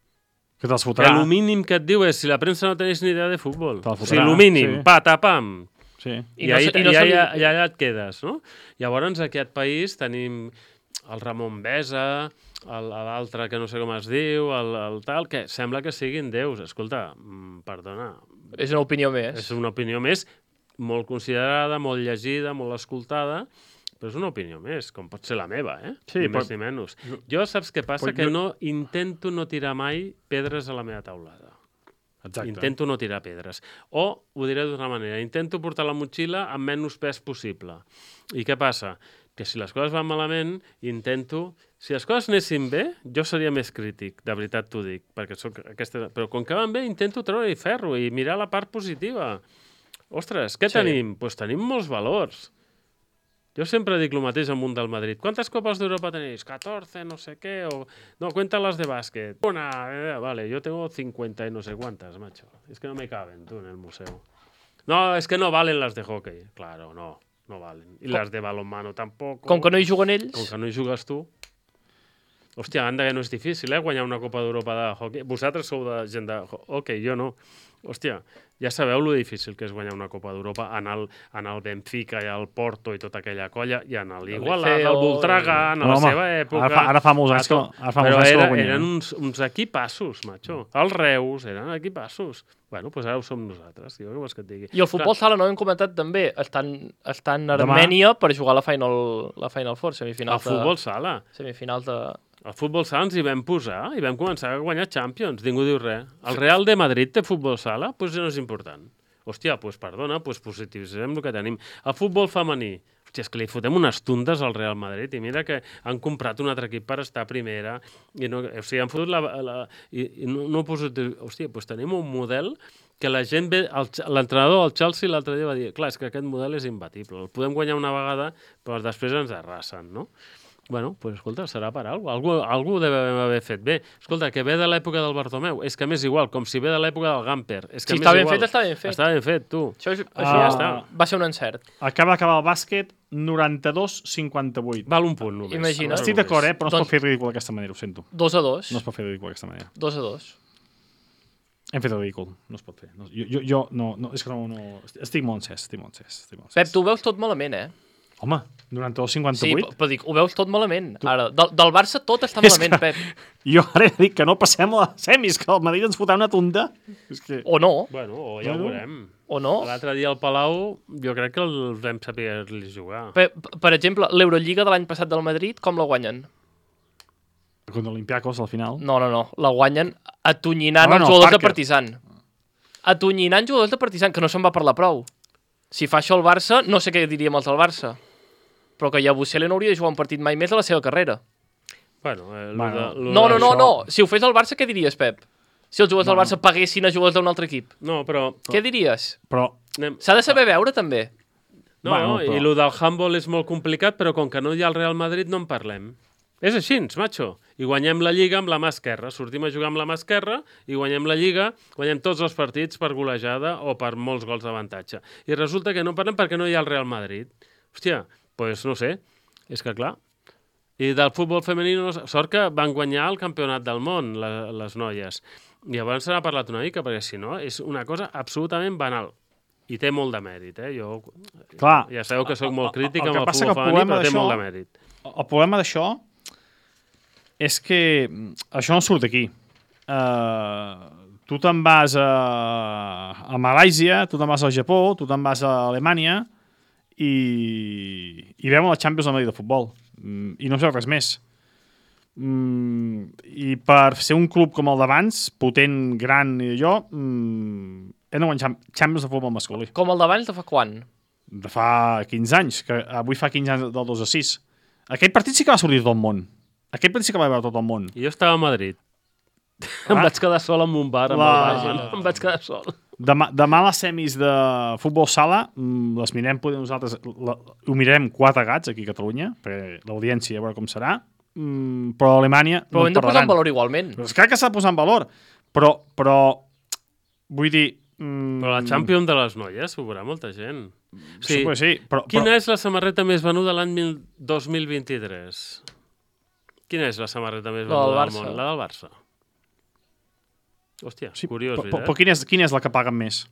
que te'ls Que fotrà. el mínim que et diu és si la premsa no tenéis ni idea de futbol. Te'l O sigui, fotrà, el mínim, sí. patapam. Sí. I, I no I, se- i, i no i, se li- allà, i allà et quedes, no? Llavors, aquí aquest país tenim el Ramon Besa, el- l'altre que no sé com es diu, el, el tal, que sembla que siguin déus. Escolta, mm, perdona, És una opinió més. és una opinió més molt considerada, molt llegida, molt escoltada, però és una opinió més, com pot ser la meva, eh? Sí, ni però- més ni menys. Jo saps què passa? però Que jo- no intento no tirar mai pedres a la meva taulada. Exacte. Intento no tirar pedres. O, ho diré d'una manera, intento portar la motxilla amb menys pes possible. I què passa? Que si les coses van malament, intento... Si les coses anessin bé, jo seria més crític, de veritat t'ho dic, perquè soc aquesta... Però com que van bé, intento treure-hi ferro i mirar la part positiva. Ostres, què Sí. tenim? Doncs pues tenim molts valors. Jo sempre dic el mateix al munt del Madrid. Quantes copes d'Europa tenéis? catorze, no sé què, o... No, cuéntalas de básquet. Una, eh, vale, yo tengo cincuenta y no sé cuántas, macho. Es que no me caben, tú, en el museo. No, es que no valen las de hockey. Claro, no, no valen. Y las de balonmano tampoco. Com que no hi juguen ells... Com que no hi jugues tu. Hòstia, anda que no és difícil, eh, guanyar una Copa d'Europa de hockey. Vosaltres sou de gent de hockey, jo no. Hòstia, ja sabeu lo difícil que és guanyar una Copa d'Europa en el, en el Benfica i el Porto i tota aquella colla, i en l'Igualada, Liceo, el Voltregà, en No, la home, seva època... ara fa- ara fa molts anys a to- que- ara fa Però molts anys que era, ho guanyem. eren uns, uns equipassos, macho. Els Reus eren equipassos. Bueno, doncs pues ara ho som nosaltres, jo què vols que et digui. I el futbol sala, no ho hem comentat també, estan, estan a Demà. Armènia per jugar la Final, la Final Four, semifinals El futbol sala. de... Semifinals de... El futbol sala ens hi vam posar i vam començar a guanyar Champions. Ningú diu res. El Real de Madrid té futbol sala? Doncs pues no és important. Hòstia, doncs pues perdona, doncs pues positivitzem el que tenim. El futbol femení. Hòstia, és que li fotem unes tundes al Real Madrid i mira que han comprat un altre equip per estar a primera i no, o sigui, han fotut la... la i, i no, no positiu... Hòstia, doncs tenim un model que la gent ve... L'entrenador del Chelsea l'altre dia va dir clar, és que aquest model és imbatible. El podem guanyar una vegada, però després ens arrasen, no? Bueno, doncs, pues, escolta, serà per alguna cosa. Algú, algú devem haver fet bé. Escolta, que ve de l'època del Bartomeu. És que m'és igual, com si ve de l'època del Gamper. És que Si m'és està ben igual. fet, està ben fet. Està ben fet, tu. Això, és, Ah. això ja està. va ser un encert. Acaba d'acabar el bàsquet noranta-dos cinquanta-vuit. Val un punt només. Imagina. Val Estic només. d'acord, eh? Però no es Doncs- pot fer ridícul d'aquesta manera, ho sento. Dos a dos. No es pot fer ridícul d'aquesta manera. Dos a dos. Hem fet el ridícul, no es pot fer. No, jo, jo, jo no, no, és que no, no... Estic molt encès, estic molt encès. Estic molt encès. Pep, tu ho veus tot malament, eh? Home, noranta-dos Sí, cinquanta-vuit? però dic, ho veus tot malament. Ara, del, del Barça tot està És malament, que- Pep. Jo ara he dit que no passem a les semis, que el Madrid ens fotrà una tunda. És que... O no. Bueno, o ja Bueno. ho veurem. O no? L'altre dia al Palau jo crec que els vam saber-li jugar. Per, per exemple, l'Eurolliga de l'any passat del Madrid, com la guanyen? Contra l'Olympiacos, al final. No, no, no. La guanyen atonyinant Ah, els no, jugadors de Parker. Partizan. Atonyinant jugadors de Partizan, que no se'n va parlar prou. Si fa això el Barça, no sé què diríem els del Barça. Però que Yabusele no hauria de jugar un partit mai més de la seva carrera. Bueno, eh, Bueno, lo de, lo No, de no, no, això- no. Si ho fes el Barça, què diries, Pep? Si els jugadors del Barça paguessin a jugadors d'un altre equip. No, però... Què diries? Però, Anem... S'ha de saber veure, també. No, Bueno, bueno, però- i el del handball és molt complicat, però com que no hi ha el Real Madrid no en parlem. És així, macho. I guanyem la Lliga amb la mà esquerra. Sortim a jugar amb la mà esquerra i guanyem la Lliga, guanyem tots els partits per golejada o per molts gols d'avantatge. I resulta que no en parlem perquè no hi ha el Real Madrid. Hòstia, doncs pues no sé, és que clar. I del futbol femení, no, sort que van guanyar el campionat del món, la, les noies. I llavors se n'ha parlat una mica, perquè si no, és una cosa absolutament banal. I té molt de mèrit, eh? Jo, clar... ja sabeu que sóc molt crític el- el amb que el passa futbol que el femení, problema però té d'això- molt de mèrit. El problema d'això és que això no surt d'aquí. Uh, tu te'n vas a, a Malàisia, tu te'n vas al Japó, tu te'n vas a Alemanya i, i veuen la Champions League de futbol. Mm, I no sé res més. Mm, I per ser un club com el d'abans, potent, gran i allò, mm, hem de guanyar Champions de futbol masculí. Com el d'abans de fa quan? De fa quinze anys, que avui fa quinze anys del dos a sis. Aquell partit sí que va sortir tot el món. Aquell partit sí que va veure tot el món. I jo estava a Madrid. Ah. Em vaig quedar sol en un bar amb La- el barman. Em vaig quedar sol. Demà, demà les semis de futbol sala mm, les mirem potser nosaltres, la, ho mirem quatre gats aquí a Catalunya, perquè l'audiència a veure com serà, mm, però a Alemanya Però no hem de posar en parlaran. valor igualment. Però és clar que s'ha de posar en valor, però, però vull dir... Mm, Però la Champions de les noies ho veurà molta gent. Sí, pues sí, però, Quina però és la samarreta més venuda l'any mil- dos mil vint-i-tres? Quina és la samarreta més La del venuda del Barça. món? La del Barça. Hòstia, sí, curiós, però, però, veritat? però quina, és, quina és la que paguen més?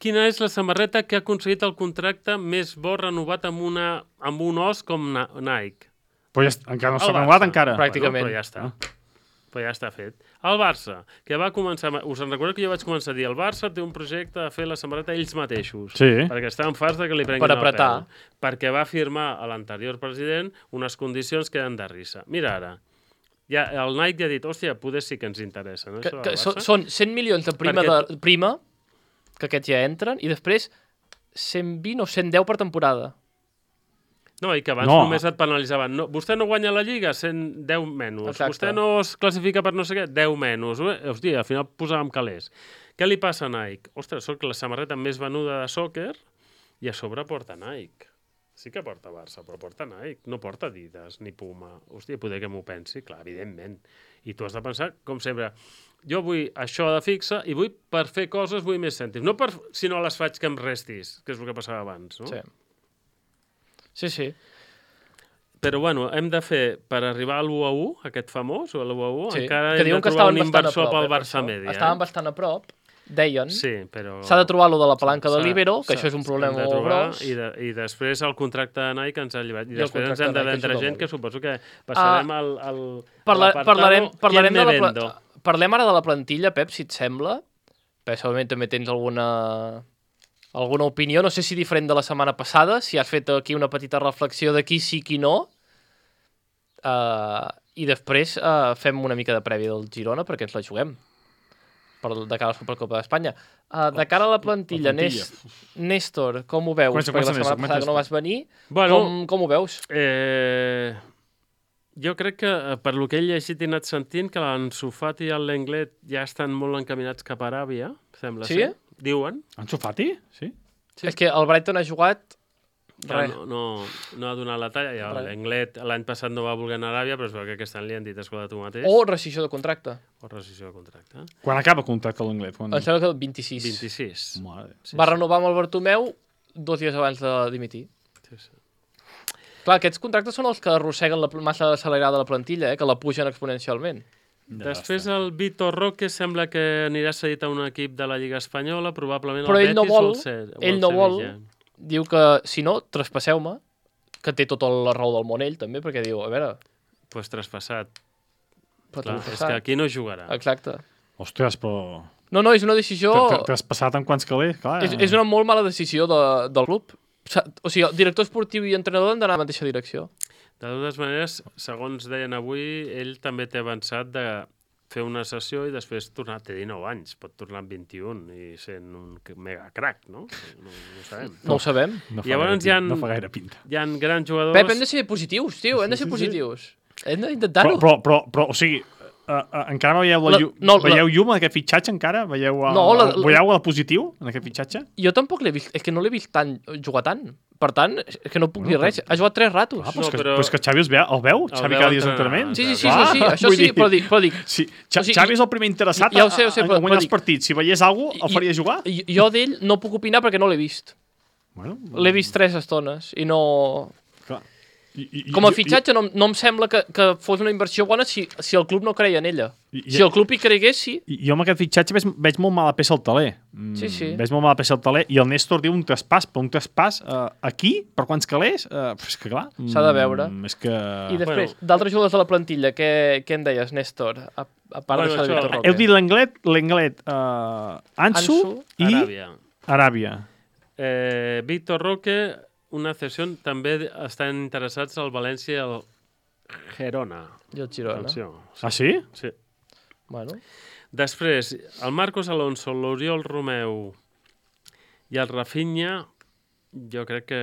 Quina és la samarreta que ha aconseguit el contracte més bo renovat amb, una, amb un os com Na- Nike? Però ja, est- encara no El s'ha Barça. renovat encara. Pràcticament. Bueno, però ja està. Però ja està fet. El Barça, que va començar... Us en recordo que jo vaig començar a dir el Barça té un projecte de fer la samarreta ells mateixos. Sí. Perquè estaven farts de que li prenguin Per apretar. el pèl. Perquè va firmar a l'anterior president unes condicions que eren de risa. Mira ara, ja, el Nike ja ha dit, hòstia, poder sí que ens interessa, no? Que, això del que Barça? so, són cent milions de prima, Perquè de, prima, que aquests ja entren, i després cent vint o cent deu per temporada. No, i que abans No. no. només et penalitzaven. No, vostè no guanya la Lliga, cent deu menys. Exacte. Vostè no es classifica per no sé què, deu menys. Hòstia, al final posàvem calés. Què li passa a Nike? Ostres, soc la samarreta més venuda de soccer i a sobre porta Nike. Sí que porta Barça, però porta Nike. No porta Adidas ni Puma. Hòstia, poder que m'ho pensi, clar, evidentment. I tu has de pensar, com sempre, jo vull això de fixa i vull, per fer coses, vull més cèntims. No per, si no les faig que em restis, que és el que passava abans, no? Sí. Sí, sí. Però bueno, hem de fer, per arribar a l'u a u, aquest famós, o a l'u a u, sí. encara Que hem de diuen que trobar estaven un bastant a inversor prop, pel eh, per Barça això. Media. Estaven bastant a prop, deien. Sí, però... S'ha de trobar lo de la palanca de s'ha- l'Ibero, que s'ha- això és un s'ha problema de molt trobar, gros. I, de, I després el contracte de Nike ens ha llevat. I, I el després ens contracte hem de de Nike vendre ajuda gent, molt. que suposo que passarem Ah, al, al, Parla, a l'apartado parlarem, parlarem, ¿Quién de me la, vendo? pla- parlem ara de la plantilla, Pep, si et sembla. Personalment també tens alguna, alguna opinió, no sé si diferent de la setmana passada, si has fet aquí una petita reflexió de qui sí, qui no. Uh, I després uh, fem una mica de prèvia del Girona perquè ens la juguem per, de cara a la Supercopa d'Espanya. Uh, de cara a la plantilla, la plantilla. Nés, Néstor, com ho veus? Comença, perquè comença, la setmana Néstor, passada que no comença. vas venir, Bueno, com, com ho veus? Eh, jo crec que, eh, per lo que he llegit i anat sentint, que l'Ansu Fati i el Lenglet ja estan molt encaminats cap a Aràbia, sembla Sí? ser. Diuen. Ansu Fati? Sí. Sí. És que el Brighton ha jugat Que res. no, no, no ha donat la talla. Ja, Res. L'Englet l'any passat no va voler anar a Aràbia, però es veu que aquest any li han dit escolta tu mateix. O rescissió de contracte. O rescissió de contracte. Quan acaba el contracte a l'Anglet? Quan... Em sembla que el vint-i-sis. vint-i-sis. Mare. Sí, Va renovar amb el Bartomeu dos dies abans de dimitir. sí, sí. Clar, aquests contractes són els que arrosseguen la pl- massa accelerada de la plantilla, eh? Que la pugen exponencialment. Després el Vitor Roque sembla que anirà cedit a un equip de la Lliga Espanyola, probablement Però el ell no Betis vol, o el, Ce o ell el no vol. Sevilla. Diu que, si no, traspasseu-me, que té tota la raó del món ell, també, perquè diu, a veure... Pues traspassat. Però Clar, t'ho és passat. que aquí no jugarà. Exacte. Ostres, però... No, no, és una decisió... T'has passat amb quants calés, clar. És, és una molt mala decisió de, del club. O sigui, el director esportiu i entrenador han d'anar a la mateixa direcció. De totes maneres, segons deien avui, ell també té avançat de fer una sessió i després tornar, té dinou anys, pot tornar amb vint-i-un i sent un mega crack, no? No, no ho sabem. No ho sabem. No fa, Llavors gaire, hi ha, no fa gaire pinta. Hi ha grans jugadors... Pep, hem de ser positius, tio, hem de ser positius. Hem d'intentar-ho. Però, però, però, però, o sigui, uh, uh, encara veieu, la, La- llu no, la- veieu llum en aquest fitxatge, encara? Veieu, uh, No, la- la- veieu el positiu en aquest fitxatge? Jo tampoc l'he vist, és que no l'he vist tant, jugar tant. Per tant, és que no puc dir res. Ha jugat tres ratos. Ah, però, No, és que, però- però és que Xavi es veu, el veu? El Xavi veu cada dia és entrenar. entrenament? Sí, sí, sí, Clar, això sí, això vull sí, dir- però dic, però dic, Sí, Xa O sigui, Xavi és el primer interessat ja ho sé, ho sé, a, però- a guanyar però els dic- partits. Si veiés alguna cosa, el I- faria jugar? jo- jo d'ell no puc opinar perquè no l'he vist. Bueno, L'he vist tres estones i no... clar. I, i, Com a i- fitxatge no, no em sembla que, que fos una inversió bona si, si el club no creia en ella. I- i- Si el club hi cregués, sí. I, jo amb aquest fitxatge veig, veig molt mala peça al taler. Mm, Sí, sí. Veig molt mala peça al taler. I el Néstor diu un traspàs, però un traspàs uh, aquí, per quants calés? Uh, és que clar... S'ha de veure. Mm, és que... I després, Bueno. d'altres jugadors de la plantilla, què, què en deies, Néstor? A, a part Bueno, d'això de això- Víctor Roque. Heu dit l'Englet, l'Englet, uh, Ansu, Ansu, i Aràbia. Aràbia. Eh, Víctor Roque, una cessió, també estan interessats al València i al Girona. I el Girona. Atenció. Ah, sí? Sí. Bueno. Després, el Marcos Alonso, l'Oriol Romeu i el Rafinha, jo crec que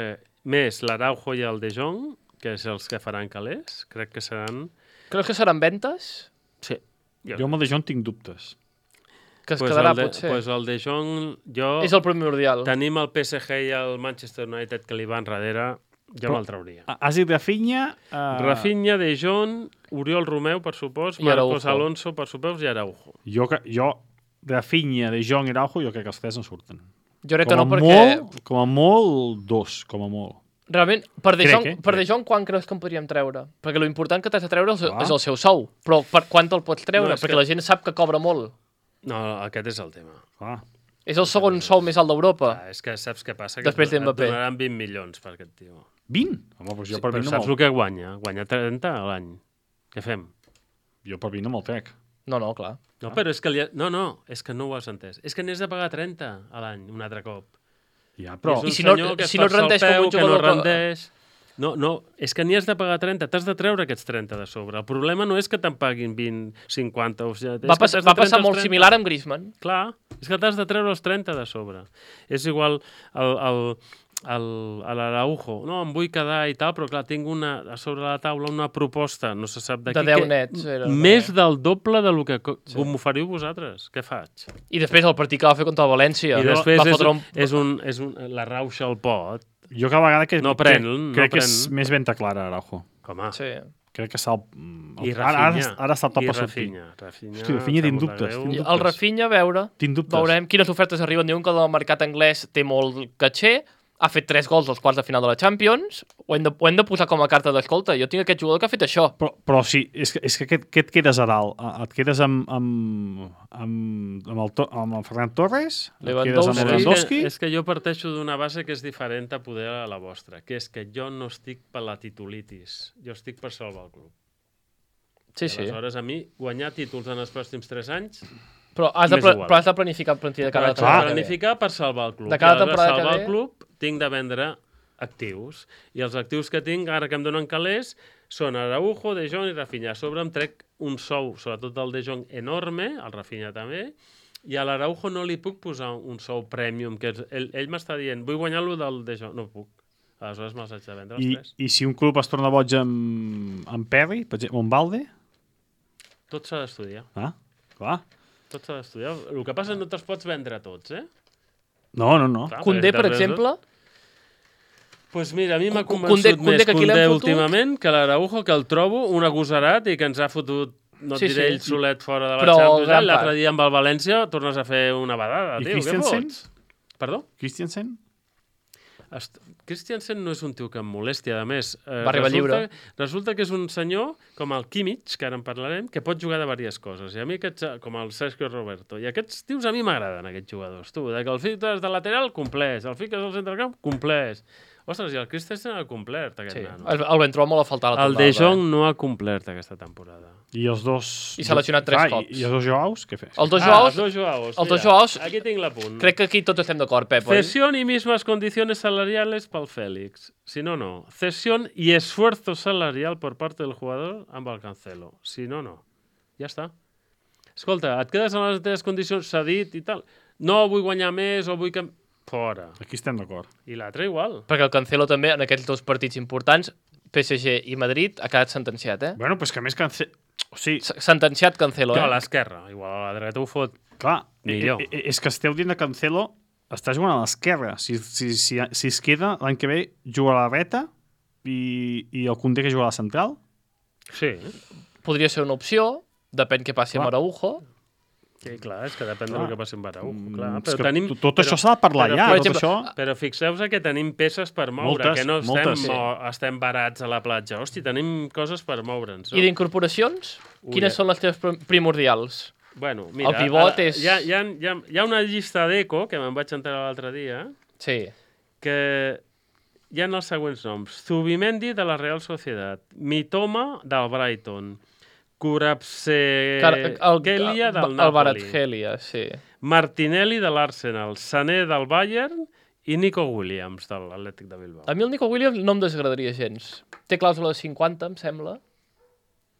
més l'Araujo i el De Jong, que és els que faran calés, crec que seran... Creus que seran ventes? Sí. Jo, Jo amb el De Jong tinc dubtes. Que es pues quedarà, el de, potser? Pues el De Jong, jo... És el primordial. Tenim el P S G i el Manchester United que li van darrere, jo Però- me'l trauria. Ah, Has dit Rafinha... Uh, Rafinha, De Jong, Oriol Romeu, per supost, I Marcos Araujo. Alonso, per supost, i Araujo. Jo, que- jo Rafinha, De Jong i Araujo, jo crec que els tres en surten. Jo crec Com que a, no, perquè... molt, com a molt, dos, com a molt. Realment, per De Crec, Jong, eh? per De Crec. Jong quan creus que en podríem treure? Perquè lo important que t'has de treure és, Clar. és el seu sou. Però per quant te'l pots treure? No, és perquè que- la gent sap que cobra molt. No, aquest és el tema. Clar. És el segon sou més alt d'Europa. Ah, és que saps què passa? Que Després et don- d'Mbappé. et donaran vint milions per aquest tio. vint? Home, doncs jo Sí, per però vint no saps me'l... el que guanya? Guanya trenta a l'any. Què fem? Jo per vint no me'l trec. No, no, clar. No, però és que... Li ha... No, no, és que no ho has entès. És que n'has de pagar trenta a l'any, un altre cop. Ja, Però, però... és un I si no- senyor que es si no torça el rendeix com peu, un que no jugador que- rendeix... No, no, és que n'hi has de pagar trenta, t'has de treure aquests trenta de sobre. El problema no és que te'n paguin vint, cinquanta... O sigui, Va, pas, va passar molt similar. similar amb Griezmann. Clar, és que t'has de treure els trenta de sobre. És igual el, el, el, a l'Araujo. No, em vull quedar i tal, però clar, tinc una, a sobre la taula una proposta, no se sap de De qui, deu que- nets, era, no? més del doble de lo que co- m'oferiu vosaltres. Què faig? I després el partit que va fer contra el València. I després va és, fotre un... és, un, és un, la rauxa al pot. Jo cada vegada que... No pren, crec, no crec que pren. és més venta clara, Araujo. Com a... Sí. Crec que s'ha... I Ara, ara, Rafinha. ara està top I a sortir. Rafinha. Rafinha, Hosti, Rafinha tinc em sap molt de dubtes, greu. tinc I dubtes. el Rafinha, a veure, Tinc dubtes. veurem quines ofertes arriben. Diuen que el mercat anglès té molt caché, ha fet tres gols als quarts de final de la Champions, ho hem de, ho hem de posar com a carta d'escolta. Jo tinc aquest jugador que ha fet això. Però, però sí, és que, és que què, què et quedes a dalt? Ah, Et quedes amb, amb, amb, amb, el, To- amb el Ferran Torres? Et quedes amb Lewandowski. el Però és, Lewandowski? que, és que jo parteixo d'una base que és diferent a poder a la vostra, que és que jo no estic per la titulitis, jo estic per salvar el club. Sí, I sí. aleshores a mi guanyar títols en els pròxims tres anys Però has de, m'és pla igual. però has de planificar el plantilla de cada Vaig a temporada. planificar per salvar el club. De cada I aleshores temporada que salvar ve- el club tinc de vendre actius. I els actius que tinc, ara que em donen calés, són Araujo, De Jong i Rafinha. A sobre em trec un sou, sobretot el De Jong, enorme, el Rafinha també, i a l'Araujo no li puc posar un sou premium, que és, ell, ell m'està dient, vull guanyar-lo del De Jong. No puc. Aleshores me'ls haig de vendre els I, tres. I si un club es torna boig amb, amb Perry, per exemple, o amb Valde? Tot s'ha d'estudiar. Ah, clar. Tot s'ha d'estudiar. El que passa és que no te'ls pots vendre tots, eh? No, no, no. Clar, Condé, per perquè darrere- exemple, Pues mira, a mi m'ha Cu- convençut Condé- Condé, més que aquí l'hem Condé fotut. últimament que l'Araujo, que el trobo un agosarat i que ens ha fotut, no et Sí, diré sí. ell solet fora de la Però Champions, gran l'altre part. dia amb el València tornes a fer una badada, I tio, què Christensen? fots? Perdó? Christiansen? Est... Christiansen no és un tio que em molesti, a més. Eh, Va arribar resulta, lliure. resulta que és un senyor, com el Kimmich, que ara en parlarem, que pot jugar de diverses coses. I a mi aquests, com el Sergio Roberto. I aquests tios a mi m'agraden, aquests jugadors. Tu, de que el fiques de lateral, compleix. El fiques al centre del camp, compleix. Ostres, i el Christensen ha complert, aquest Sí. nano. El, el vam trobar molt a faltar la El tornada. De Jong no ha complert aquesta temporada. I els dos... I s'ha lesionat tres ah, cops. I, I els dos Joaus, què fes? Els dos Ah, Joaos, els dos Joaos. els dos mira, Joaos- Aquí tinc l'apunt. crec que aquí tots estem d'acord, Pep, oi? Cesión y mismas condiciones salariales para el Félix. Si no, no. Cesión y esfuerzo salarial por parte del jugador amb el Cancelo. Si no, no. Ja està. Escolta, et quedes en les teves condicions, s'ha dit i tal. No vull guanyar més o vull que... Fora. Aquí estem d'acord. I l'altre igual. Perquè el Cancelo també, en aquests dos partits importants, P S G i Madrid, ha quedat sentenciat, eh? Bueno, però és que a més Cancelo... O sigui, S- Sentenciat Cancelo, Que a eh? l'esquerra. Igual a la dreta ho fot. clar, Millor. eh, eh, és que esteu dient de Cancelo, està jugant a l'esquerra. Si, si, si, si es queda, l'any que ve juga a la dreta i, i el Koundé que juga a la central. Sí. Podria ser una opció, depèn què passi Clar. amb Araujo. Sí, clar, és que depèn Clar. del que passi amb Araujo. Clar, Mm, és però que tenim... tot, tot això s'ha de parlar però, ja, per tot exemple, això... Però fixeu-vos que tenim peces per moure, Moltes, que no estem, moltes. mo estem barats a la platja. Hosti, tenim coses per moure'ns. I No? d'incorporacions, Ui, quines eh. són les teves prim- primordials? Bueno, mira, El pivot ara, és- Hi ha, hi, ha, hi, ha, hi ha una llista d'eco, que me'n vaig enterar l'altre dia, Sí. que hi ha els següents noms. Zubimendi, de la Real Sociedad. Mitoma, del Brighton. Kvaratskhelia, del el Napoli. Kvaratskhelia, sí. Martinelli, de l'Arsenal. Sané, del Bayern. I Nico Williams, de l'Atlètic de Bilbao. A mi el Nico Williams no em desagradaria gens. Té clàusula de cinquanta, em sembla.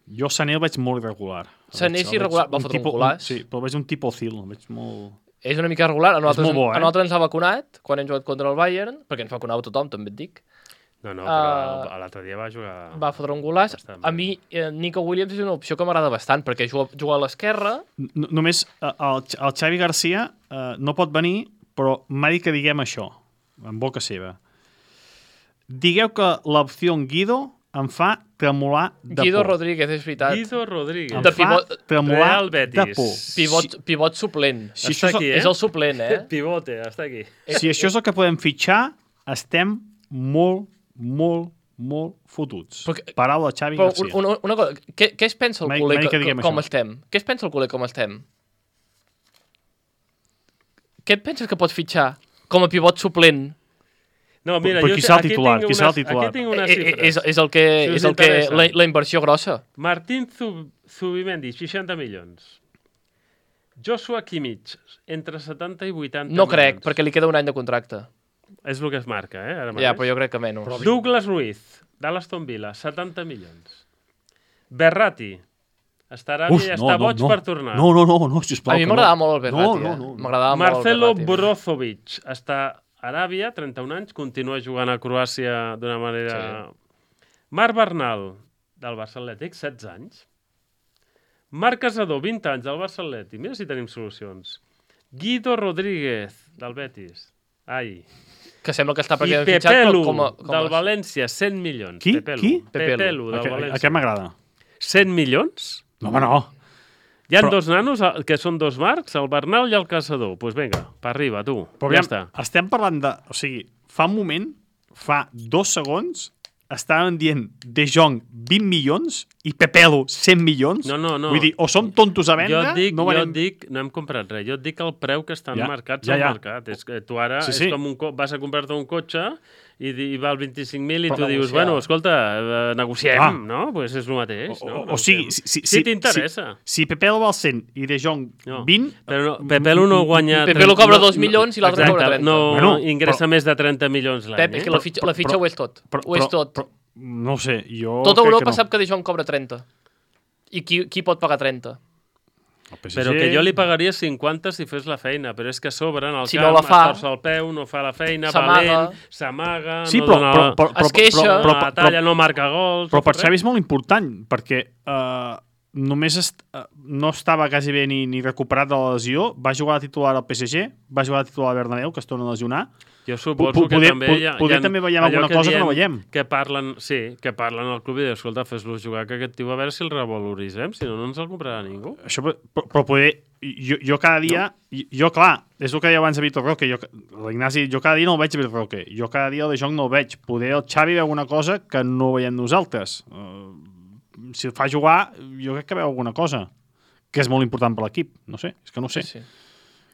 Jo Sané el veig molt irregular. El Sané veig- és el veig irregular, va fotre un tipus- golaç. Sí, però veig un tipus Ozil, el veig molt... És una mica irregular. A nosaltres, molt bo, eh? a nosaltres ens ha vacunat quan hem jugat contra el Bayern, perquè ens vacunava tothom, també et dic. No, no, però Uh, l'altre dia va jugar... Va fotre un golaç. Bastant A bé. mi, eh, Nico Williams és una opció que m'agrada bastant, perquè juga, juga a l'esquerra. N Només eh, el, el Xavi Garcia eh, no pot venir, però m'ha dit que diguem això, en boca seva. Digueu que l'opció Guido em fa tremolar de Guido por. Rodríguez, és veritat. Guido Rodríguez. Em de fa pivot- tremolar Real Betis. de por. Pivot, pivot suplent. Si Està això és aquí, el- eh? És el suplent, eh? Pivote, està aquí. Si això és el que podem fitxar, estem molt, molt, molt fotuts. Perquè- Paraula de Xavi Però Garcia. una, una cosa, què, què es pensa el M'ha- culer m'ha dit que, que diguem com això. estem? Què es pensa el culer com estem? Què et penses que pot fitxar com a pivot suplent? No, mira, Però jo qui sé- serà el aquí titular? tinc Qui serà el unes- titular? Aquí tinc unes Eh, eh, xifres. és, és el que, Si us és el que interessa. la, la inversió grossa. Martín Zub Zubimendi, seixanta milions. Joshua Kimmich, entre setanta i vuitanta No crec, milions. perquè li queda un any de contracte. És el que es marca, eh? Ara Ja, mateix. però jo crec que menys. Douglas Ruiz, de l'Aston Villa, setanta milions. Berratti, estarà Uf, bé, no, està no, boig no. per tornar. No, no, no, no, sisplau. A mi que m'agradava no. molt el Berratti, No, no, eh? no. M'agradava molt el Marcelo Berratti. Brozovic està a Aràbia, trenta-un anys, continua jugant a Croàcia d'una manera... Sí. Marc Bernal, del Barça Atlètic, setze anys. Marc Casador, vint anys, del Barça Atlètic. Mira si tenim solucions. Guido Rodríguez, del Betis. Ai. Que sembla que està I perquè fitxat Pepelu, com a... Com a... del València, cent milions. Qui? Pepelu. Qui? Pepelu. Pepelu, del Aquest, València. aquest m'agrada. cent milions? No, home, no. Hi ha Però- dos nanos, eh, que són dos Marcs, el Bernal i el Caçador. Doncs pues vinga, per arriba, tu. Però ja aviam, està. estem parlant de... O sigui, fa un moment, fa dos segons, estàvem dient De Jong vint milions i Pepelu cent milions. No, no, no. Vull dir, o som tontos a vendre... Jo et dic, no jo venem... et dic, no hem comprat res, jo et dic el preu que estan Ja, marcats ja, al ja. mercat. És que tu ara Sí, és sí. com un, co- vas a comprar-te un cotxe i, di- i val vint-i-cinc mil i Però tu dius, negociar. bueno, escolta, eh, negociem, Ah. no? Pues és el mateix, O, no? o, o sigui, si, si, si t'interessa. Si, si Pepelu val cent i De Jong No. vint... Però no, Pepelu no guanya... Pepelu trenta- cobra no- dos milions i l'altre Exacte, cobra trenta. No Bueno, ingressa però- més de trenta milions l'any. Pep, és que eh? la fitxa, la fitxa però- ho és tot. Però, Ho és però, tot. Però, no ho sé, jo... Tota crec Europa que no. sap que De Jong cobra trenta. I qui, qui pot pagar trenta? El P S G... Però que jo li pagaria cinquanta si fes la feina, però és que a sobre en el Si camp no la fa, es torça el peu, no fa la feina, s'amaga. valent, s'amaga, Sí, no però, dona... però, però, però, Es queixa. però, no però, dona la però, talla, no marca gols... però no per fa Xavi res. és molt important, perquè uh, només est uh, no estava quasi bé ni, ni recuperat de la lesió, va jugar a titular al P S G, va jugar a titular al Bernabéu, que es torna a lesionar. Jo suposo Po- que poder- també po- hi ha... poder hi ha també veiem allò alguna cosa que no diem, veiem. Que parlen, sí, que parlen al club i diuen, escolta, fes-lo jugar, que aquest tio a veure si el revaloritzem, si no, no ens el comprarà ningú. Això, però, però poder... Jo, jo cada dia... No. Jo, clar, és el que deia abans a Vitor Roque. Jo, L'Ignasi, jo cada dia no el veig a Vitor Roque. Jo cada dia el De Jong no el veig. Poder el Xavi veu una cosa que no veiem nosaltres. Uh, si el fa jugar, jo crec que veu alguna cosa que és molt important per l'equip. No sé, és que no ho sé. Sí, sí.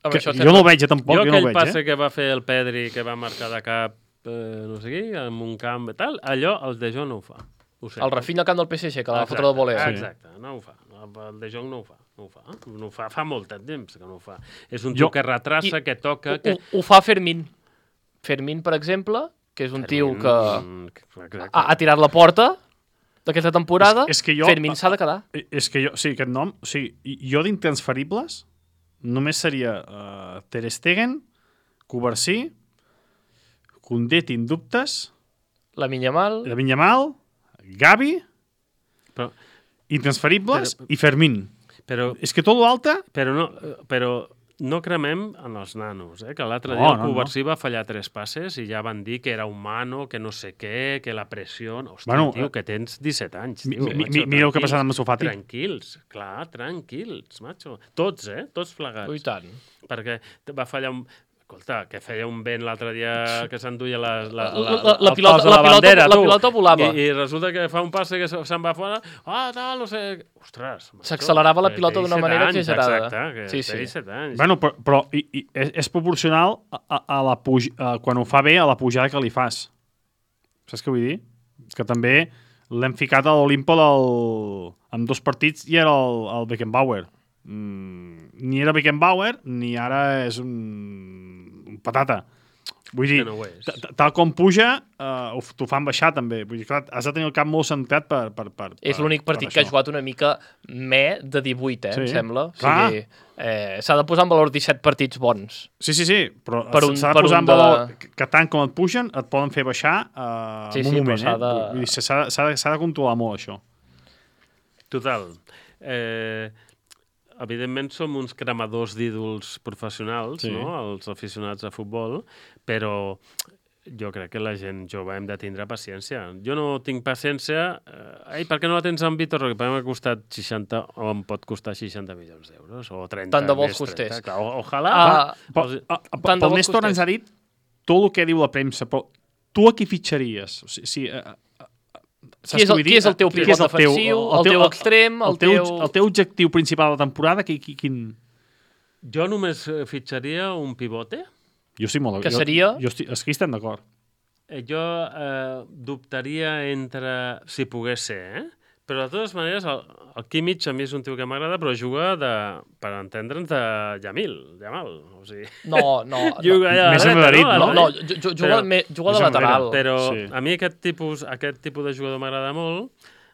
Amb Que, això jo no el veig, eh, tampoc. Jo Jo, no aquell el veig, passe eh? que va fer el Pedri, que va marcar de cap eh, no sé què, en un camp i tal, allò el De Jong no ho fa. Ho sé. El Rafinha al camp del P S G, que la va Exacte, fotre de voler. Exacte, no ho fa. El De Jong no ho fa. No ho fa. No ho fa. Fa molt de temps que no ho fa. És un Jo- tio que retrassa, I- que toca... Ho, Que... ho fa Fermín. Fermín, per exemple, que és un tio que Mm, exacte. ha, ha tirat la porta d'aquesta temporada. És- és que jo- Fermín s'ha de quedar. Eh, És que jo, sí, aquest nom, o sigui, jo d'intransferibles només seria uh, Ter Stegen, Covarsí, Koundé, tinc dubtes, La Minyamal. la Yamal, Gavi, Però, intransferibles Però- i Fermín. però, És que tot l'altre... però, no, però no cremem en els nanos, eh? Que l'altre No, dia el no, Covarsí va fallar tres passes i ja van dir que era humano, que no sé què, que la pressió... Hòstia, Bueno, tio, que tens disset anys, mi- tio. mi- macho, mi- mira el que ha tranquils, passat amb Ansu Fati. Tranquils, clar, tranquils, macho. Tots, eh? Tots plegats. Ui, tant. Perquè va fallar un... Escolta, que feia un vent l'altre dia que s'enduia la, la, La- la, la- la el pilota- pas de la pilota- bandera, la tu. pilota volava. I, I resulta que fa un passe que se- se'n va fora. Ah, tal, no sé... Ostres, macho, S'accelerava la que pilota té d'una disset manera anys, exagerada. Exacte, que Sí, té sí. disset anys. Bueno, però, però i, i, és, és proporcional a, a, a la puj, a, quan ho fa bé a la pujada que li fas. Saps què vull dir? És que també l'hem ficat a l'Olimpo del... amb dos partits i era el, el Beckenbauer. Mm, ni era Beckenbauer ni ara és un, un patata. Vull dir, Que no ho és. ta- ta- tal com puja, uh, t'ho fan baixar també. Vull dir, clar, has de tenir el cap molt centrat per, per, per, És per- l'únic per partit que ha això. jugat una mica me de divuit, eh, Sí. em sembla. O Clar. sigui, eh, s'ha de posar en valor disset partits bons. Sí, sí, sí, però Per un- s'ha de per posar un en valor de- que, que tant com et pugen et poden fer baixar uh, Sí, en un sí, però moment. s'ha Eh? de- Vull dir, s'ha de, s'ha de, s'ha de controlar molt això. Total. Eh, evidentment som uns cremadors d'ídols professionals, Sí. no?, els aficionats a futbol, però jo crec que la gent jove hem de tindre paciència. Jo no tinc paciència... Eh, Ei, per què no la tens amb Vitor Roque? Perquè m'ha costat seixanta, o em pot costar seixanta milions d'euros, o trenta. Tant de bo més els costés. trenta. Clar, o- ojalà. Ah, Però, Els- a, a, tant de pel bo Néstor costés. ens ha dit tot el que diu la premsa, però tu a qui fitxaries? O sigui, sí, uh, Qui és el- qui és el teu pivot defensiu, el teu extrem, el teu, teu- el teu objectiu principal de la temporada, qui, qui, quin... Jo només eh, fitxaria un pivote. Jo sí molt... Que jo, seria? Jo, estic, és que hi estem d'acord. Eh, Jo eh, dubtaria entre... Si pogués ser, eh? Però de totes maneres, el, el Kimmich a mi és un tio que m'agrada, però juga de, per entendre'ns, de Yamil, Yamal. O sigui, No, no, no. juga allà a Més la dreta, endarrerit, no? No, A la no, dreta. ju- ju- juga, Però- me- juga de més enrere, lateral. Però Sí. a mi aquest tipus, aquest tipus de jugador m'agrada molt.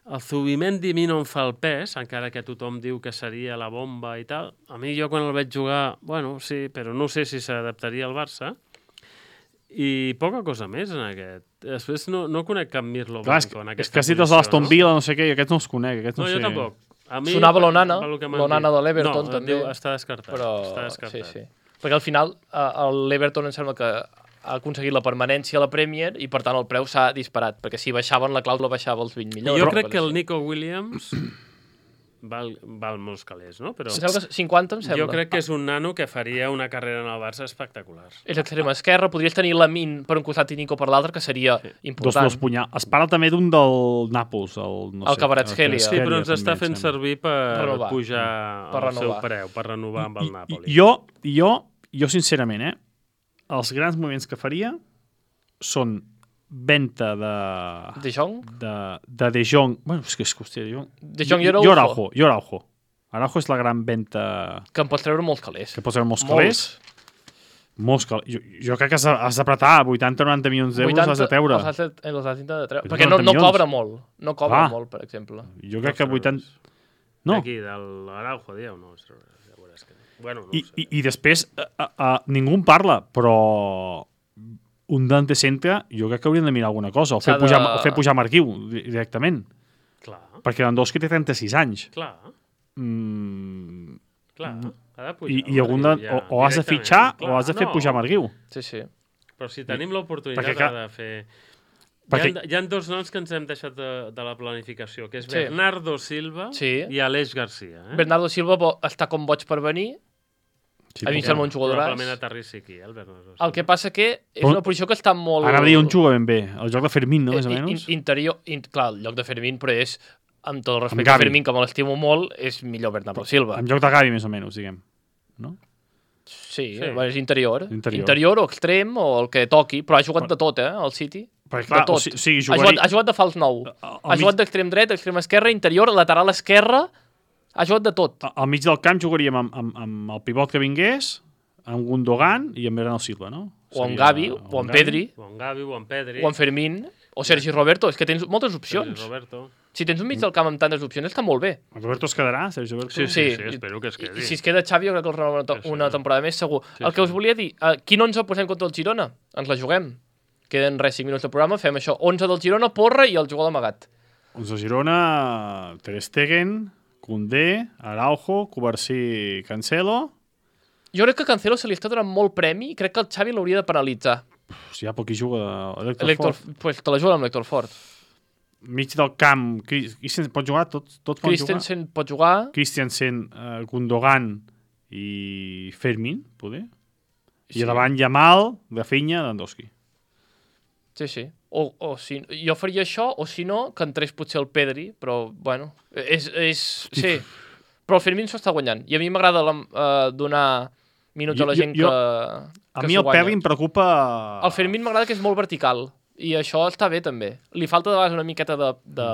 El Zubimendi a mi no em fa el pes, encara que tothom diu que seria la bomba i tal. A mi jo quan el veig jugar, bueno, sí, però no sé si s'adaptaria al Barça. I poca cosa més en aquest. Després no, no conec cap Mirlo Clar, és, Blanco en és aquesta que si dels Aston Villa, no sé què, i aquests no els conec. Aquests No, no, jo sé. tampoc. A mi, Sonava l'Onana, pel que m'han l'Onana dit. de l'Everton, no, també. Diu, està descartat. Però, està descartat. sí, sí. Perquè al final eh, l'Everton em sembla que ha aconseguit la permanència a la Premier i per tant el preu s'ha disparat, perquè si baixaven la clàusula baixava els vint milions. Jo o crec coses que el així. Nico Williams val, val molts calés, no? Però Em sembla que cinquanta, em sembla. jo crec que és un nano que faria una carrera en el Barça espectacular. És l'extrem esquerra, podries tenir Lamin per un costat i Nico per l'altre, que seria Sí. Dos, important. dos punyals. Es parla també d'un del Nàpols, el, no El sé, Kvaratskhelia. Sí, però ens també, està em fent sembla. servir per Renovar. pujar Per el seu renovar. preu, per renovar amb el Nàpoli. I, jo, jo, jo, sincerament, eh, els grans moviments que faria són venta de... De Jong? de, de De Jong. Bueno, és que és que, hòstia, De Jong... De Jong i Jo Araujo. Araujo. Jo Araujo. Araujo és la gran venta Que em pots treure molts calés. que pots veure molts calés. Molts calés. Jo, jo crec que has, has d'apretar vuitanta o noranta milions d'euros has de treure. Els has de, els has de treure. vuitanta Perquè no, no milions. cobra molt. No cobra Ah. molt, per exemple. Jo crec que vuitanta... No, D'aquí, de l'Araujo, dieu? No, ja veuràs que... Bueno, no I, ho sé. i, i després a, a, a, ningú en parla, però un Dante Centre jo crec que haurien de mirar alguna cosa, o fer, S'ha de- pujar, o fer pujar Marquiu di- directament, Clar, perquè Lewandowski té trenta-sis anys. clar, Mm, clar. Ha de pujar. i, i algun de, ja, o, o has de directament, fitxar clar, o has de fer no. pujar Marquiu. Sí, sí. Però si tenim l'oportunitat Perquè, clar, de fer... perquè- Hi, ha, hi ha dos noms que ens hem deixat de, de la planificació, que és Sí. Bernardo Silva Sí. i Aleix Garcia. Eh? Bernardo Silva bo- està com boig per venir. Sí, A mi em però- sembla un jugadoràs. Probablement aterrissi aquí, eh, el Bernardo Silva. El que passa que és Però- una posició que està molt... Ara dia un juga ben bé, el joc de Fermín, no, més o in- menys? in- interior, in, clar, el lloc de Fermín, però és, amb tot el respecte Gavi. a Fermín, que me l'estimo molt, és millor Bernardo Silva. En joc de Gavi, més o menys, diguem. No? Sí, Sí. és interior. Interior. Interior o extrem o el que toqui, però ha jugat de tot, eh, el City. Perquè, clar, de tot. o sigui, sí, ha, jugaria- jugat, ha jugat de fals nou. A- a- Ha al jugat mig- d'extrem dret, extrem esquerra, interior, lateral esquerra. Ha jugat de tot. Al mig del camp jugaríem amb, amb, amb el pivot que vingués, amb Gundogan i amb Bernardo Silva, no? O amb Seria- Gavi, o amb Pedri, O en Gavi, o en Pedri. o amb Fermín, o Sergi Roberto. És que tens moltes Sergi opcions. Roberto. Si tens un mig del camp amb tantes opcions, està molt bé. El Roberto es quedarà, Sergi Roberto? Sí, sí, Sí, sí, espero que es quedi. I si es queda Xavi, jo crec que el renova una, Sí, sí. una temporada més, segur. Sí, el que sí. us volia dir, uh, quin onze posem contra el Girona? Ens la juguem. Queden res, cinc minuts de programa, fem això. onze del Girona, Porra i el jugador amagat. onze Girona, Ter Stegen, Koundé, Araujo, Covarsí, Cancelo... Jo crec que Cancelo se li està donant molt premi i crec que el Xavi l'hauria de penalitzar. Si hi ha poc qui juga Héctor L'Héctor, Ford. pues te la juga amb l'Héctor Ford. Mig del camp, Cris- Christensen pot jugar? Tots, tots poden jugar? Christensen pot jugar. Christensen, uh, Gundogan i Fermín, poder? I Sí. a davant Yamal, Rafinha, Lewandowski. Sí, sí. O, o si, jo faria això, o si no, que entrés potser el Pedri, però, bueno, és... és sí, però el Fermín s'ho està guanyant. I a mi m'agrada uh, donar minuts Jo- a la gent jo- que, A que mi s'ho el guanya. Pedri em preocupa... El Fermín m'agrada que és molt vertical, i això està bé, també. Li falta de vegades una miqueta de, de,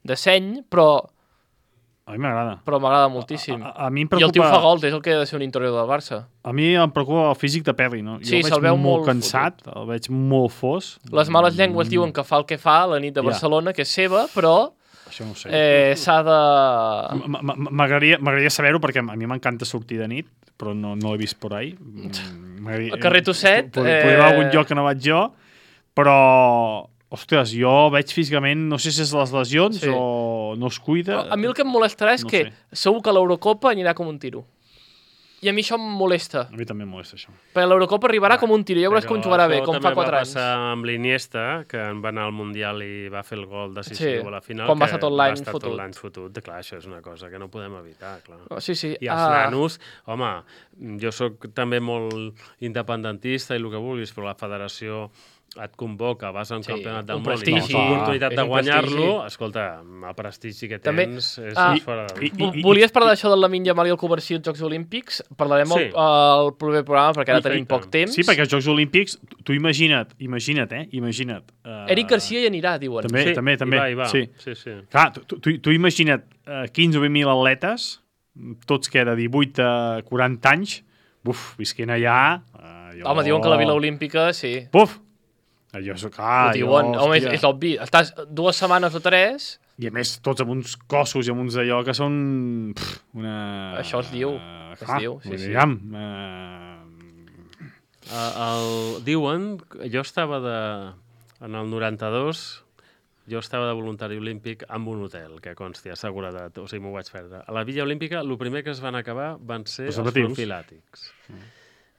de seny, però, A mi m'agrada. però m'agrada moltíssim. A, a, a mi em I el tio preocupa... fa gols, és el que ha de ser un interior del Barça. A mi em preocupa el físic de Pedri, no? Sí, jo el se'l veig veu molt molt cansat, el veig molt fos. Les males llengües diuen que fa el que fa a la nit de Ja. Barcelona, que és seva, però Això no ho sé. eh, s'ha de... M- m- m- M'agradaria m'agradaria saber-ho perquè a mi m'encanta sortir de nit, però no, no l'he vist por ahí. Mm, m'agradaria- Al carrer Tosset, Pod- Podria eh, haver algun lloc que no vaig jo, però... Ostres, jo veig físicament, no sé si és les lesions Sí. o no es cuida. A mi el que em molestarà és No que sé. segur que l'Eurocopa anirà com un tiro. I a mi això em molesta. A mi també em molesta això. Perquè l'Eurocopa arribarà com un tiro, ja veuràs com jugarà bé, com fa quatre anys. Això també va passar amb l'Iniesta, que en va anar al Mundial i va fer el gol decisiu Sí, a la final. quan va que estar tot l'any va estar fotut. tot l'any fotut. Clar, això és una cosa que no podem evitar, clar. Oh, sí, sí. I els Ah, nanos, home, jo sóc també molt independentista i el que vulguis, però la federació et convoca, vas a un Sí, campionat del un món i prestigi. tens l'oportunitat És de un guanyar-lo, prestigi. escolta, el prestigi que També, tens és, ah, és fora de... i- vo- Volies parlar d'això del Lamine Yamal i el Covarsí als Jocs Olímpics? Parlarem Sí. al, al proper programa, perquè ara I tenim tant. poc temps. Sí, perquè els Jocs Olímpics, tu- tu imagina't, imagina't, eh? Imagina't. Uh, Eric Garcia hi anirà, diuen. També, Sí, també, hi també. va, hi va. Sí. sí, sí. Clar, tu, tu, tu imagina't uh, quinze o vint mil atletes, tots que de divuit a quaranta anys, buf, visquent allà... Uh, jo... Home, diuen que la Vila Olímpica, sí. Buf! Allò és, clar, Ho diuen. jo, Home, és, hòstia. és obvi. Estàs dues setmanes o tres, I a més, tots amb uns cossos i amb uns d'allò que són... Pff, una... Això es diu, Uh, es diu, sí, sí. Diguem, uh, Uh, el, diuen, jo estava de, en el noranta-dos, jo estava de voluntari olímpic amb un hotel, que consti, a seguretat, o sigui, m'ho vaig perdre. A la Villa Olímpica, el primer que es van acabar van ser els Preservatius. profilàtics.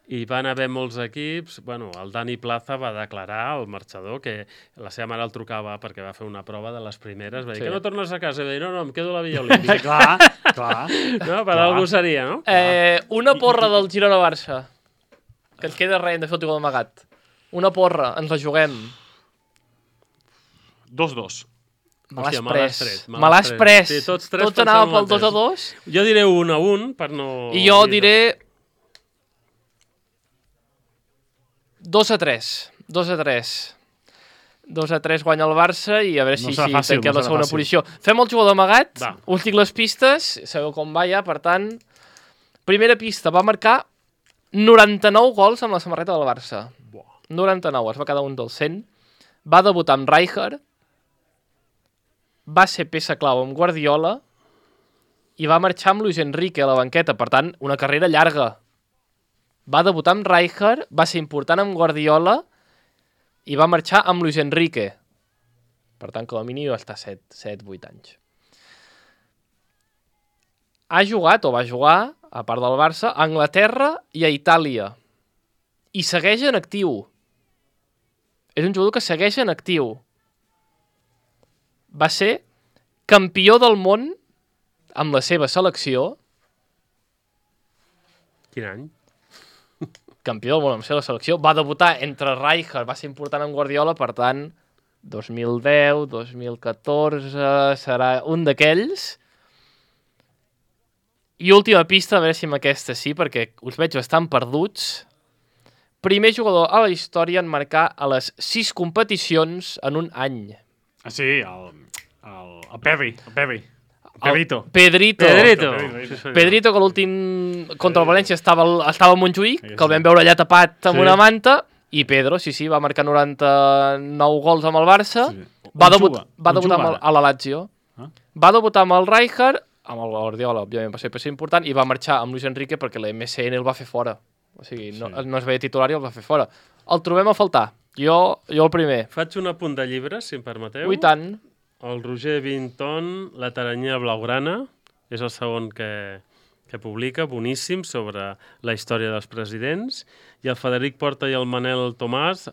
I van haver molts equips, bueno, el Dani Plaza va declarar, el marxador, que la seva mare el trucava perquè va fer una prova de les primeres, va dir, Sí. que no tornes a casa? I va dir, no, no, em quedo a la Villa Olímpica. clar, clar. No, per algú seria, no? eh, una porra del Girona-Barça. Que ens queda res, hem de fer el tio d'amagat. Una porra, ens la juguem. Dos, dos. Me l'has Hòstia, me l'has pres. tret, me Me l'has l'has tret. pres. Sí, tots tres Tots anàvem pensem pel el dos a mateix. dos. Jo diré un a un, per no... I jo dir- diré dos a tres. dos a tres. dos a tres guanya el Barça i a veure No si, serà si fàcil, tanquem no la serà segona fàcil. posició. Fem el jugador amagat, Va. us dic les pistes, sabeu com va ja, per tant... Primera pista, va marcar noranta-nou gols amb la samarreta del Barça. noranta-nou, es va quedar un dels cent. Va debutar amb Rijkaard, va ser peça clau amb Guardiola i va marxar amb Luis Enrique a la banqueta, per tant, una carrera llarga. Va debutar amb Rijkaard, va ser important amb Guardiola i va marxar amb Luis Enrique. Per tant, com a mínim va estar set vuit anys. Ha jugat, o va jugar, a part del Barça, a Anglaterra i a Itàlia. I segueix en actiu. És un jugador que segueix en actiu. Va ser campió del món amb la seva selecció. Quin any? Campió del món amb la seva selecció. Va debutar entre Rijkaard, va ser important amb Guardiola, per tant, dos mil deu, dos mil catorze, serà un d'aquells. I última pista, a veure si amb aquesta sí, perquè us veig bastant perduts. Primer jugador a la història en marcar a les sis competicions en un any. Ah, sí, el, el, el Perry, el Perry. El Pedrito. El Pedrito. Pedrito. Pedrito. Pedrito, que l'últim contra el València estava, estava a Montjuïc, que el vam veure allà tapat amb Sí. una manta, i Pedro, sí, sí, va marcar noranta-nou gols amb el Barça, Sí. va, On debut, juga? va On debutar juga amb el, ara? a la Lazio, Ah. va debutar amb el Rijkaard, amb el Guardiola, òbviament, va ser, va ser important, i va marxar amb Luis Enrique perquè la M S N el va fer fora. O sigui, no, Sí. no es veia titular i el va fer fora. El trobem a faltar. Jo, jo el primer. Faig un apunt de llibre, si em permeteu. I tant. El Roger Vinton, La taranyia blaugrana, és el segon que, que publica, boníssim, sobre la història dels presidents, i el Frederic Porta i el Manel Tomàs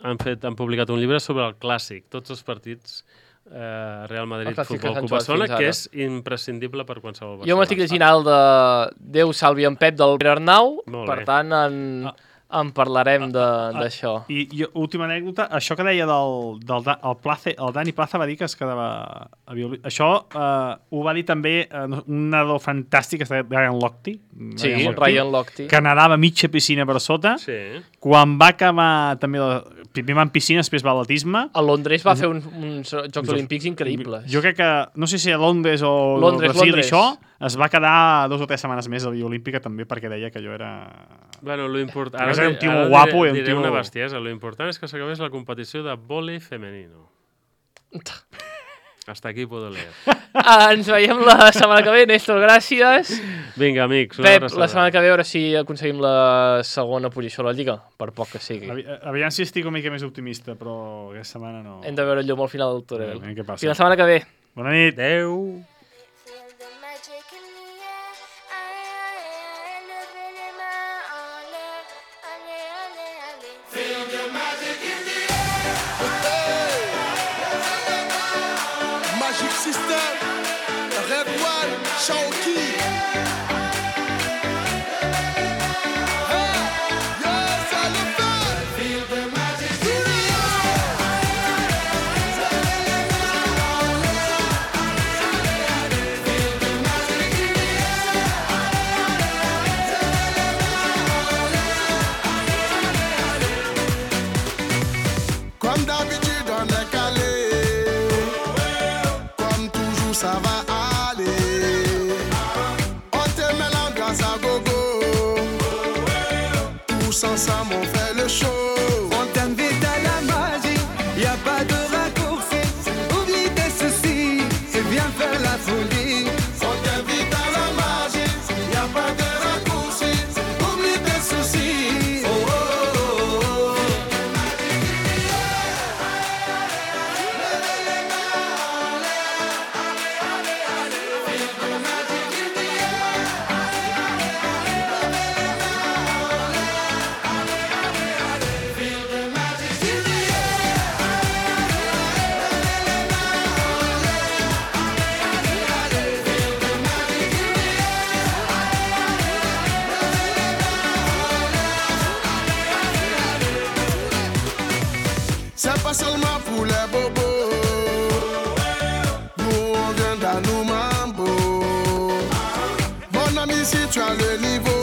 han, fet, han publicat un llibre sobre el clàssic, tots els partits eh, Real Madrid El clàssic que Futbol s'han Club jugat Barcelona, fins que ara. és imprescindible per qualsevol Barcelona. Jo m'estic llegint el de Déu salvi en Pep del Pere Arnau, Molt per bé. tant en, en parlarem de- d'això. I, I última anècdota, això que deia del, del Da- el, Place, el Dani Plaza va dir que es quedava a violí. Això eh, ho va dir també eh, un nedador fantàstic, que es deia Ryan Lochte, Sí, Ryan Lochte. que nedava mitja piscina per sota. Sí. Quan va acabar també la, primer va en piscina, després va a l'atletisme. A Londres va fer un, uns Jocs Olímpics increïbles. Jo crec que, no sé si a Londres o Londres, o Brasil, Londres. això, es va quedar dos o tres setmanes més a la Via Olímpica també perquè deia que jo era... Bueno, lo important... Ara era un tio ara guapo diré, i un diré tio- una bestiesa. Lo important és que s'acabés la competició de vòlei femenino. Hasta aquí puedo leer. Ah, ens veiem la setmana que ve, Néstor, gràcies. Vinga, amics, una Pep, abraçada. la setmana que ve, a veure si aconseguim la segona posició a la Lliga, per poc que sigui. Avi- Aviam si estic una mica més optimista, però aquesta setmana no. Hem de veure el llum al final del túnel. Aviam què passa. Fins la setmana que ve. Bona nit. Adéu. Feel the magic in the air. Aïe, aïe, aïe, levez les mains en l'air. Allez, allez, allez. Feel the magic in the Magic System, Red One, Shawky. Hey, yes, I love that. Feel the magic in the Comme d'habitude, on est calé. Comme toujours, ça va aller. On te met l'ambiance à gogo. Tous ensemble, on fait le show. On t'invite à la magie, y a pas de raccourci. Oublie tes soucis et viens faire la folie. On t'invite à la magie, y a pas de raccourci. Oublie tes soucis. Oh, oh, oh, oh. C'est pas seulement pour les bobos. Nous on vient dans nos mambo. Mon ami, si tu as le niveau,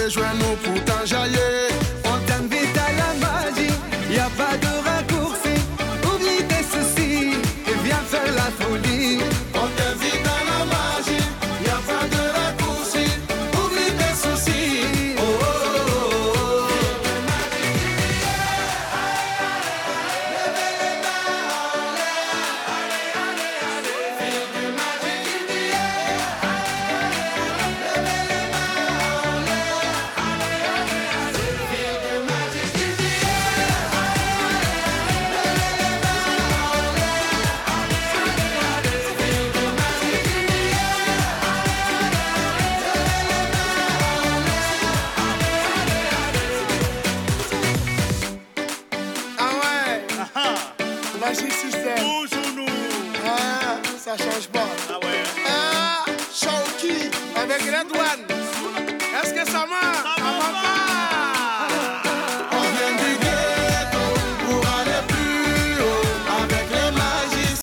rejoins-nous pour t'enjailler.